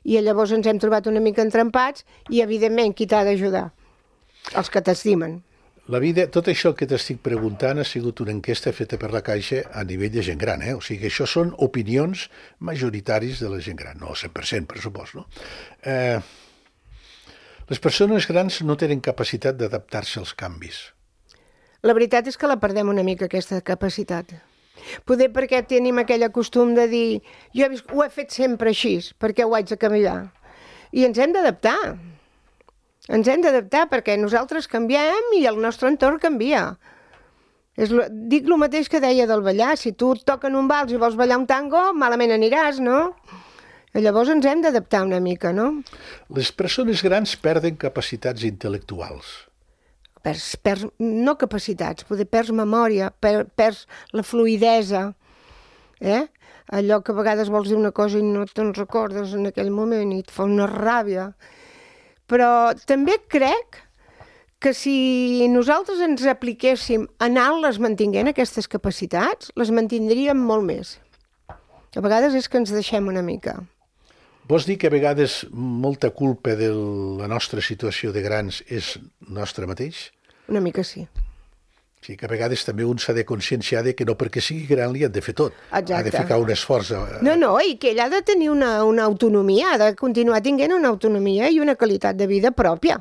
I llavors ens hem trobat una mica entrampats i, evidentment, qui t'ha d'ajudar? Els que t'estimen. La vida, tot això que t'estic preguntant ha sigut una enquesta feta per la Caixa a nivell de gent gran, O sigui, això són opinions majoritaris de la gent gran, no 100%, per supost, no? Les persones grans no tenen capacitat d'adaptar-se als canvis. La veritat és que la perdem una mica, aquesta capacitat. Poder perquè tenim aquell costum de dir jo ho he fet sempre així, perquè ho haig de canviar. I ens hem d'adaptar. Ens hem d'adaptar perquè nosaltres canviem i el nostre entorn canvia. Dic el mateix que deia del ballar. Si tu et toquen un vals i vols ballar un tango, malament aniràs, no? Llavors ens hem d'adaptar una mica, no? Les persones grans perden capacitats intel·lectuals. No capacitats, poder perds memòria, perds la fluïdesa. Allò que a vegades vols dir una cosa i no te'n recordes en aquell moment i et fa una ràbia. Però també crec que si nosaltres ens apliquéssim a anar-les mantinguent, aquestes capacitats, les mantindríem molt més. A vegades és que ens deixem una mica. Vols dir que a vegades molta culpa de la nostra situació de grans és nostra mateix? Una mica sí. Sí, que a vegades també un s'ha de conscienciar que no perquè sigui gran li han de fer tot. Exacte. Ha de ficar un esforç. No, i que ell ha de tenir una autonomia, ha de continuar tinguent una autonomia i una qualitat de vida pròpia.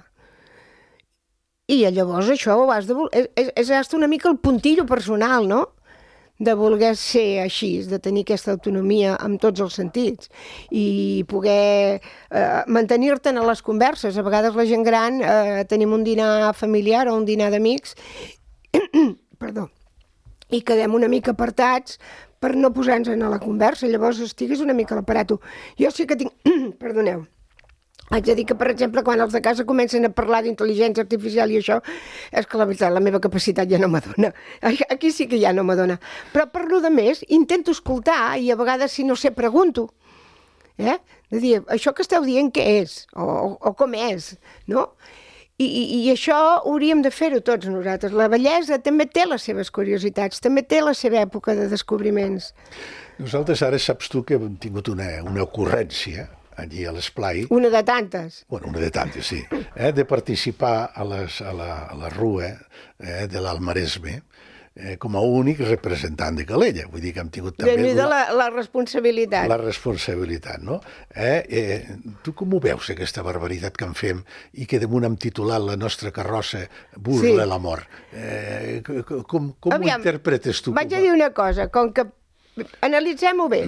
I llavors això ho has de voler... És una mica el puntillo personal, no? De voler ser així, de tenir aquesta autonomia en tots els sentits i poder mantenir-te'n a les converses. A vegades la gent gran tenim un dinar familiar o un dinar d'amics perdó, i quedem una mica apartats per no posar-nos a la conversa, llavors estiguis una mica a l'aparato. Jo sí que tinc... Perdoneu. Haig de dir que, per exemple, quan els de casa comencen a parlar d'intel·ligència artificial i això, és que la veritat, la meva capacitat ja no m'adona. Aquí sí que ja no m'adona. Però per lo de més, intento escoltar i a vegades, si no sé, pregunto. De dir, això que esteu dient què és? O com és? No? I això hauríem de fer-ho tots nosaltres. La bellesa també té les seves curiositats, també té la seva època de descobriments. Nosaltres ara saps tu que hem tingut una ocurrència allí a l'Esplai. Una de tantes. Bueno, una de tantes, sí. De participar a la Rua de l'Almaresme com a únic representant de Calella. Vull dir que hem tingut també... Déu-n'hi-do la responsabilitat. La responsabilitat, no? Tu com ho veus, aquesta barbaritat que en fem i que damunt hem titulat la nostra carrossa Burla la mort? Com ho interpretes tu? Vaig a dir una cosa, com que analitzem-ho bé.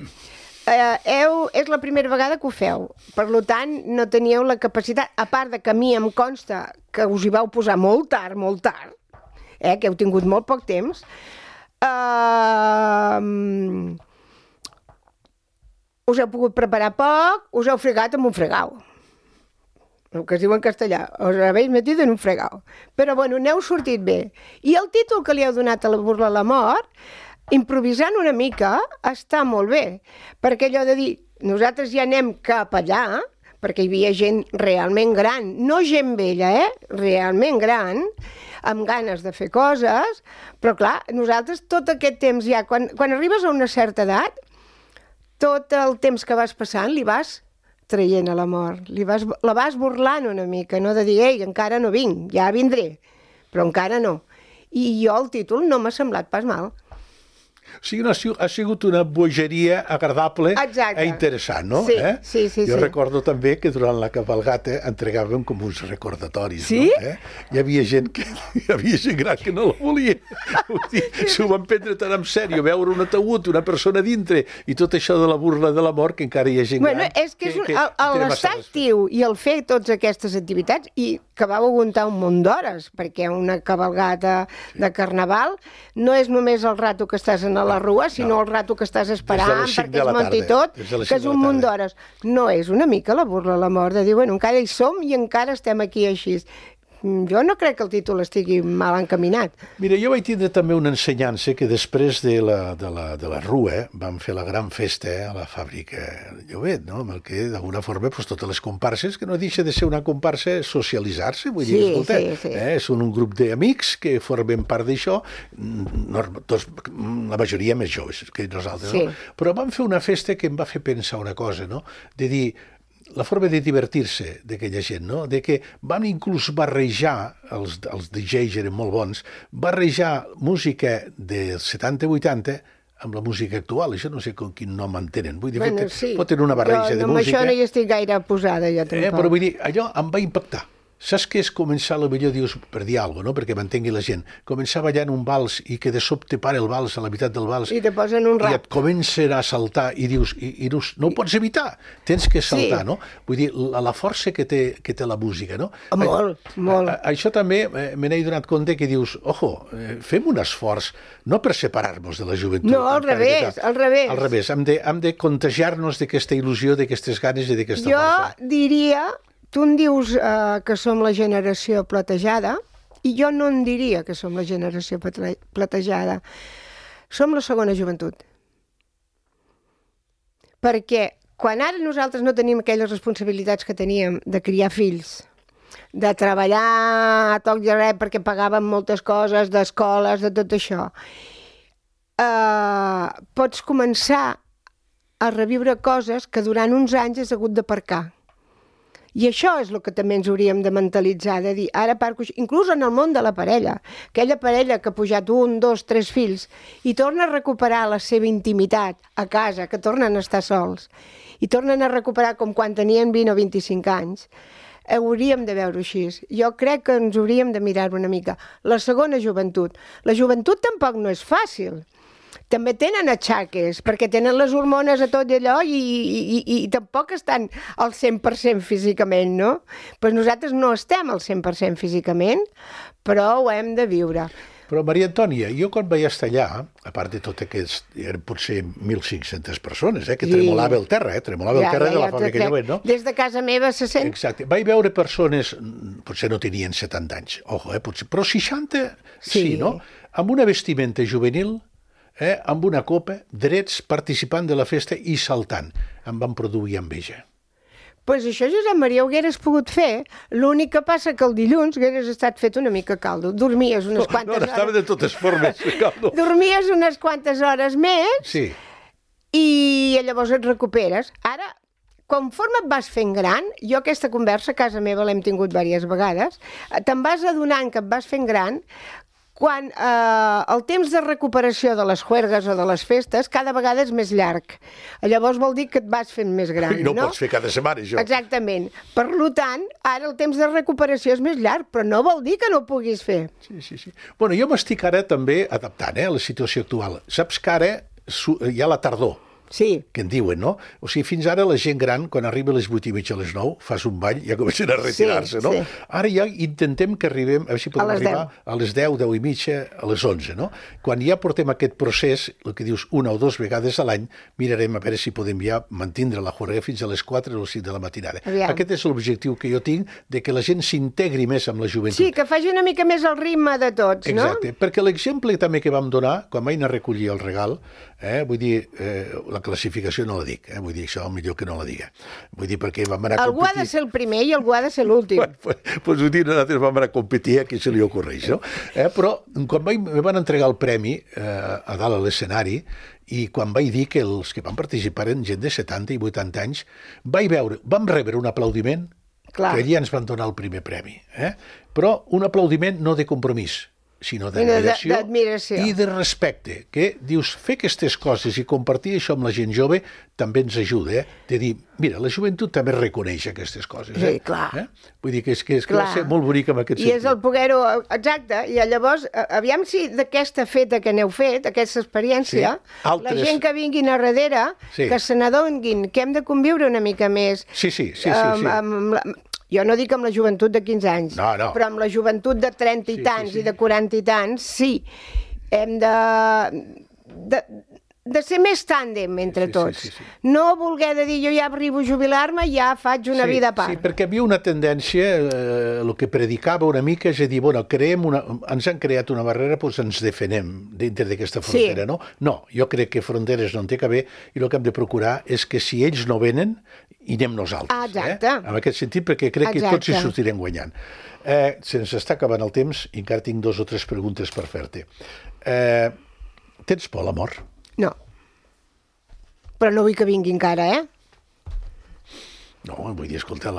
És la primera vegada que ho feu, per tant no teníeu la capacitat, a part de que a mi em consta que us hi vau posar molt tard, que heu tingut molt poc temps, us heu pogut preparar poc, us heu fregat amb un fregau, el que es diu en castellà, us habéis metido en un fregau, però bueno, n'heu sortit bé. I el títol que li heu donat a la Burla a la mort, improvisant una mica, està molt bé, perquè allò de dir, nosaltres ja anem cap allà, perquè hi havia gent realment gran, no gent vella, realment gran, amb ganes de fer coses, però clar, nosaltres tot aquest temps ja, quan arribes a una certa edat, tot el temps que vas passant li vas traient a la mort, la vas burlant una mica, no de dir, ei, encara no vinc, ja vindré, però encara no. I jo el títol no m'ha semblat pas mal. O sigui, no, ha sigut una bogeria agradable i interessant, no? Sí. Jo recordo també que durant la cabalgata entregàvem com uns recordatoris, sí? No? Hi havia gent gran que no la volia. S'ho van prendre tan en sèrio, veure un ataúd, una persona dintre, i tot això de la burla de la mort, que encara hi ha gent gran. És que l'estar actiu i el fer totes aquestes activitats, i que vau aguantar un munt d'hores, perquè una cabalgata de carnaval no és només el rato que estàs a la rua, sinó el rato que estàs esperant perquè es munti tot, que és un munt d'hores. No és una mica la burla a la mort de dir, bueno, encara hi som i encara estem aquí així. Jo no crec que el títol estigui mal encaminat. Mira, jo vaig tindre també una ensenyança que després de la Rua vam fer la gran festa a la fàbrica de Llobet, no? Amb el que, d'alguna forma, totes les comparses, que no deixa de ser una comparsa, socialitzar-se, vull dir, escolta, són un grup d'amics que formen part d'això, la majoria més joves que nosaltres, no? Però vam fer una festa que em va fer pensar una cosa, no? De dir, la forma de divertir-se d'aquella gent, no? De que van inclús barrejar, els DJs eren molt bons, barrejar música dels 70-80 amb la música actual. Això no sé quin nom en tenen. Vull dir, pot tenir una barreja de música. Amb això no hi estic gaire posada, jo tampoc. Però vull dir, allò em va impactar. Saps què és començar, potser dius, per dir alguna cosa, no? Perquè m'entengui la gent. Començar ballant un vals i que de sobte para el vals a la meitat del vals. I te posen un rap. I et comencen a saltar i dius, no ho pots evitar, tens que saltar, no? Vull dir, la força que té la música, no? Molt. Això també me n'he donat compte que dius, fem un esforç, no per separar-nos de la joventut. No, al revés. Al revés, hem de contagiar-nos d'aquesta il·lusió, d'aquestes ganes i d'aquesta força. Jo diria... Tu em dius que som la generació platejada, i jo no en diria que som la generació platejada. Som la segona joventut. Perquè quan ara nosaltres no tenim aquelles responsabilitats que teníem de criar fills, de treballar a toc i res perquè pagàvem moltes coses, d'escoles, de tot això, pots començar a reviure coses que durant uns anys has hagut d'aparcar. I això és el que també ens hauríem de mentalitzar, de dir, ara parco, inclús en el món de la parella, aquella parella que ha pujat 1, 2, 3 fills i torna a recuperar la seva intimitat a casa, que tornen a estar sols, i tornen a recuperar com quan tenien 20 o 25 anys, hauríem de veure així. Jo crec que ens hauríem de mirar una mica. La segona joventut. La joventut tampoc no és fàcil. També tenen atxaques, perquè tenen les hormones a tot allò i tampoc estan al 100% físicament, no? Però nosaltres no estem al 100% físicament, però ho hem de viure. Però, Maria Antònia, jo quan vaig estar allà, a part de tot aquest, eren potser 1.500 persones, que tremolava el terra, tremolava el terra de la fàbrica Llobet, no? Des de casa meva se sent... Exacte. Vaig veure persones, potser no tenien 70 anys, potser, però 60 sí, no? Amb una vestimenta juvenil, amb una copa, drets, participant de la festa i saltant. Em van produir enveja. Pues això, Josep Maria, ho hagueres pogut fer. L'únic que passa que el dilluns hagueres estat fet una mica caldo. Dormies unes quantes hores... No, estava de totes formes, caldo. Dormies unes quantes hores més sí. I llavors et recuperes. Ara, conforme et vas fent gran, jo aquesta conversa a casa meva l'hem tingut diverses vegades, te'n vas adonant que et vas fent gran quan el temps de recuperació de les juergues o de les festes cada vegada és més llarg. Llavors vol dir que et vas fent més gran, no? I no pots fer cada setmana, això. Exactament. Per tant, ara el temps de recuperació és més llarg, però no vol dir que no ho puguis fer. Sí. Bueno, jo m'estic ara també adaptant a la situació actual. Saps que ara hi ha la tardor. Sí. Que en diuen, no? O sigui, fins ara la gent gran, quan arriba a les 8:30 a les 9, fas un ball i ja comencen a retirar-se, no? Sí. Ara ja intentem que arribem, a veure si podem arribar a les 10, 10:30, a les 11, no? Quan ja portem aquest procés, el que dius, 1 o 2 vegades a l'any, mirarem a veure si podem ja mantindre la juerga fins a les 4 o les 5 de la matinada. Aviam. Aquest és l'objectiu que jo tinc, de que la gent s'integri més amb la joventut. Sí, que faci una mica més el ritme de tots, no? Exacte, perquè l'exemple també que vam donar, quan vaig anar a recollir el regal, vull dir, la classificació no la dic, vull dir, això millor que no la diga. Vull dir, perquè vam anar a competir... Algú ha de ser el primer i algú ha de ser l'últim. Doncs ho dic, nosaltres vam anar a competir, a qui se li ocorreix, no? Però quan me van entregar el premi a dalt a l'escenari, i quan vaig dir que els que van participar eren gent de 70 i 80 anys, vam rebre un aplaudiment, que allà ens van donar el primer premi. Però un aplaudiment no de compromís, sinó d'admiració d'admiració. I de respecte, que dius, fer aquestes coses i compartir això amb la gent jove també ens ajuda, de dir, mira, la joventut també reconeix aquestes coses. Sí, clar. Vull dir que va ser molt bonic en aquest sentit. I és el poder-ho, exacte, i llavors, aviam si d'aquesta feta que n'heu fet, aquesta experiència, la gent que vinguin a darrere, que se n'adonguin, que hem de conviure una mica més. Sí. Jo no dic amb la joventut de 15 anys, però amb la joventut de 30 i tants i de 40 i tants, sí. Hem de ser més tàndem entre tots. No voler de dir jo ja arribo a jubilar-me i ja faig una vida a part. Sí, perquè hi havia una tendència, el que predicava una mica és a dir, bueno, ens han creat una barrera, doncs ens defenem dintre d'aquesta frontera, no? No, jo crec que fronteres no en té que haver i el que hem de procurar és que si ells no venen, hi anem nosaltres. Exacte. En aquest sentit, perquè crec que tots hi sortirem guanyant. Se'ns està acabant el temps i encara tinc 2 o 3 preguntes per fer-te. Tens por a la mort? No. Però no vull que vingui encara, No, vull dir, escolta,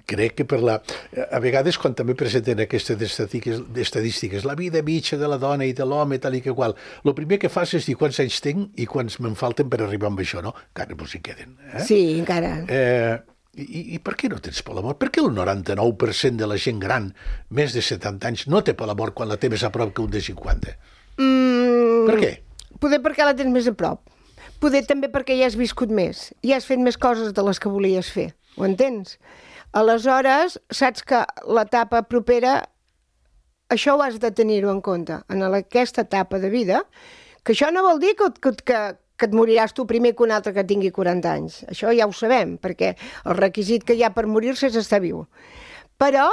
crec que a vegades quan també presenten aquestes estadístiques, la vida mitja de la dona i de l'home, tal i que qual, el primer que fas és dir quants anys tinc i quants me'n falten per arribar amb això, no? Encara no s'hi queden. Sí, encara. I per què no tens por a la mort? Per què el 99% de la gent gran, més de 70 anys, no té por a la mort quan la té més a prop que un de 50? Per què? Poder perquè la tens més a prop. Poder també perquè ja has viscut més, ja has fet més coses de les que volies fer, ho entens? Aleshores, saps que l'etapa propera, això ho has de tenir-ho en compte, en aquesta etapa de vida, que això no vol dir que et moriràs tu primer que un altre que tingui 40 anys. Això ja ho sabem, perquè el requisit que hi ha per morir-se és estar viu. Però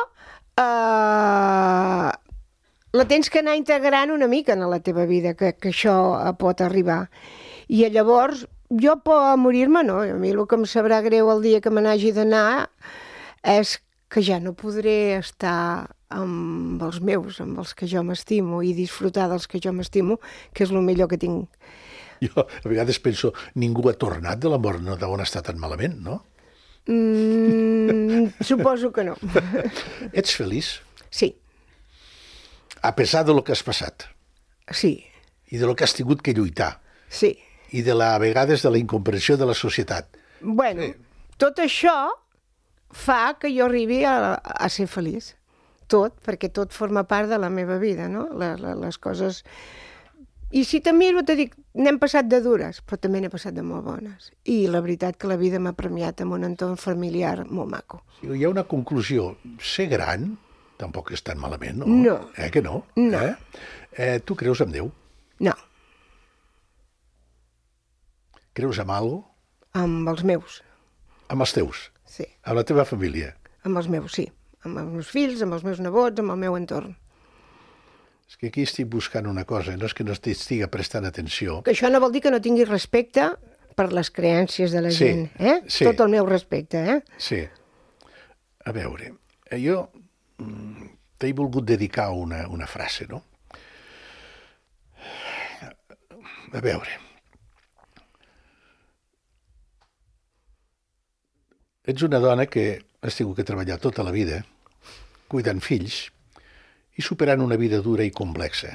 la tens que anar integrant una mica en la teva vida, que això pot arribar. I llavors, jo por a morir-me no, a mi el que em sabrà greu el dia que me n'hagi d'anar és que ja no podré estar amb els meus, amb els que jo m'estimo i disfrutar dels que jo m'estimo, que és el millor que tinc. Jo a vegades penso, ningú ha tornat de la mort, no deuen estar tan malament, no? Suposo que no. Ets feliç? Sí. A pesar de lo que has passat? Sí. I de lo que has tingut que lluitar? Sí. I a vegades de la incomprensió de la societat. Bueno, tot això fa que jo arribi a ser feliç. Tot, perquè tot forma part de la meva vida, no? Les coses... I si te miro, te dic, n'hem passat de dures, però també n'he passat de molt bones. I la veritat que la vida m'ha premiat amb un entorn familiar molt maco. Hi ha una conclusió. Ser gran tampoc és tan malament, no? No. Que no? No. Tu creus en Déu? No. Creus en alguna cosa? Amb els meus. Amb els teus? Sí. Amb la teva família? Amb els meus, sí. Amb els meus fills, amb els meus nebots, amb el meu entorn. És que aquí estic buscant una cosa, no és que no estigui prestant atenció. Que això no vol dir que no tingui respecte per les creences de la gent, Sí. Tot el meu respecte, Sí. A veure, jo t'he volgut dedicar una frase, no? A veure... Ets una dona que has tingut que treballar tota la vida, cuidant fills i superant una vida dura i complexa.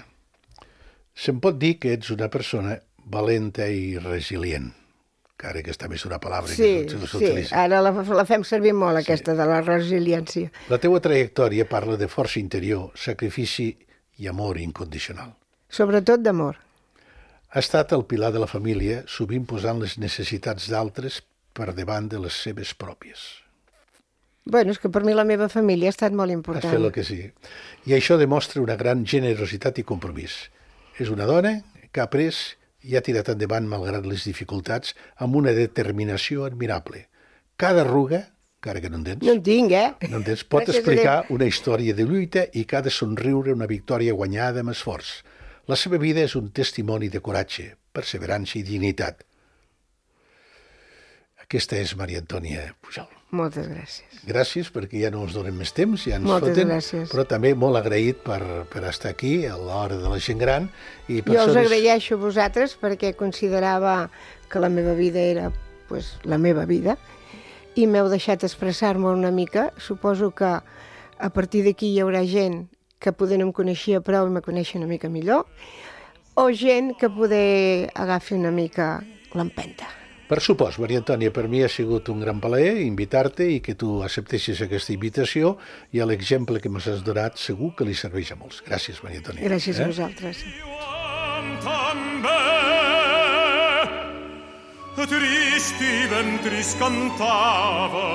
Se'n pot dir que ets una persona valenta i resilient, que ara aquesta més una paraula que s'utilitza. Sí, ara la fem servir molt, aquesta de la resiliència. La teua trajectòria parla de força interior, sacrifici i amor incondicional. Sobretot d'amor. Ha estat el pilar de la família, sovint posant les necessitats d'altres per davant de les seves pròpies. Bueno, és que per mi la meva família ha estat molt important. Has fet el que sigui. I això demostra una gran generositat i compromís. És una dona que ha après i ha tirat endavant malgrat les dificultats amb una determinació admirable. Cada arruga, encara que no en tens, no en tinc, no en tens, pot explicar una història de lluita i cada somriure una victòria guanyada amb esforç. La seva vida és un testimoni de coratge, perseverança i dignitat. Aquesta és Maria Antònia Pujol. Moltes gràcies. Gràcies, perquè ja no ens donem més temps, ja ens Moltes foten, gràcies. Però també molt agraït per estar aquí a l'hora de la gent gran. I jo us agraeixo a vosaltres perquè considerava que la meva vida era la meva vida i m'heu deixat expressar-me una mica. Suposo que a partir d'aquí hi haurà gent que poder no em coneixia prou i me coneixia una mica millor, o gent que poder agafi una mica l'empenta. Per supost, Maria Antònia, per mi ha sigut un gran plaer invitar-te i que tu acceptessis aquesta invitació, i l'exemple que m'has donat segur que li serveix a molts. Gràcies, Maria Antònia. Gràcies a vosaltres. Tristi ventris cantava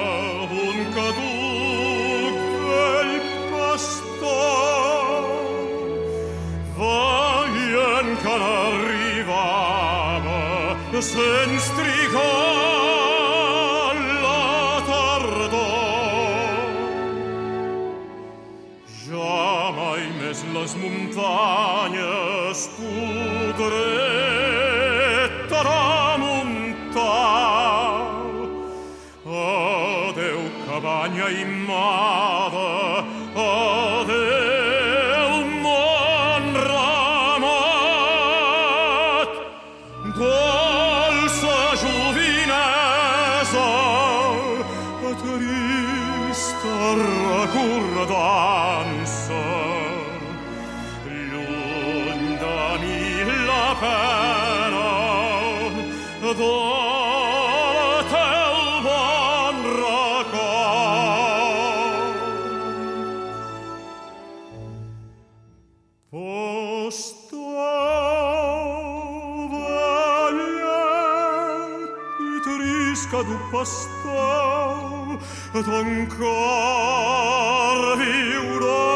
un caduc vell pastor, veient que n'arribava sense trigar la tardor. Ja mai més les muntanyes podré tramuntar. Adeu, cabanya imada, adeu, món ramat, dolça jovinesa, trista recordança, lluny de mi la pena, del teu bon record. Pastor vellet i trist caduc pastor, t'encar viurà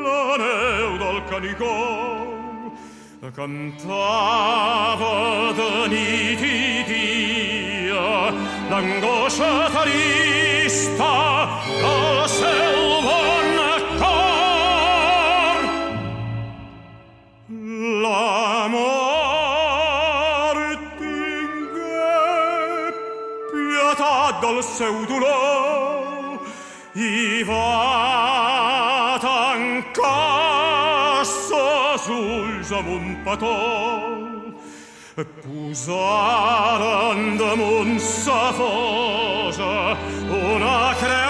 la neu del Canigó. Cantava de nit i dia l'angoixa trista del seu bon cor. La mort tingué pietat del seu dolor i va tancar ses ulls amb un petó. Posaren damunt sa fosa una creu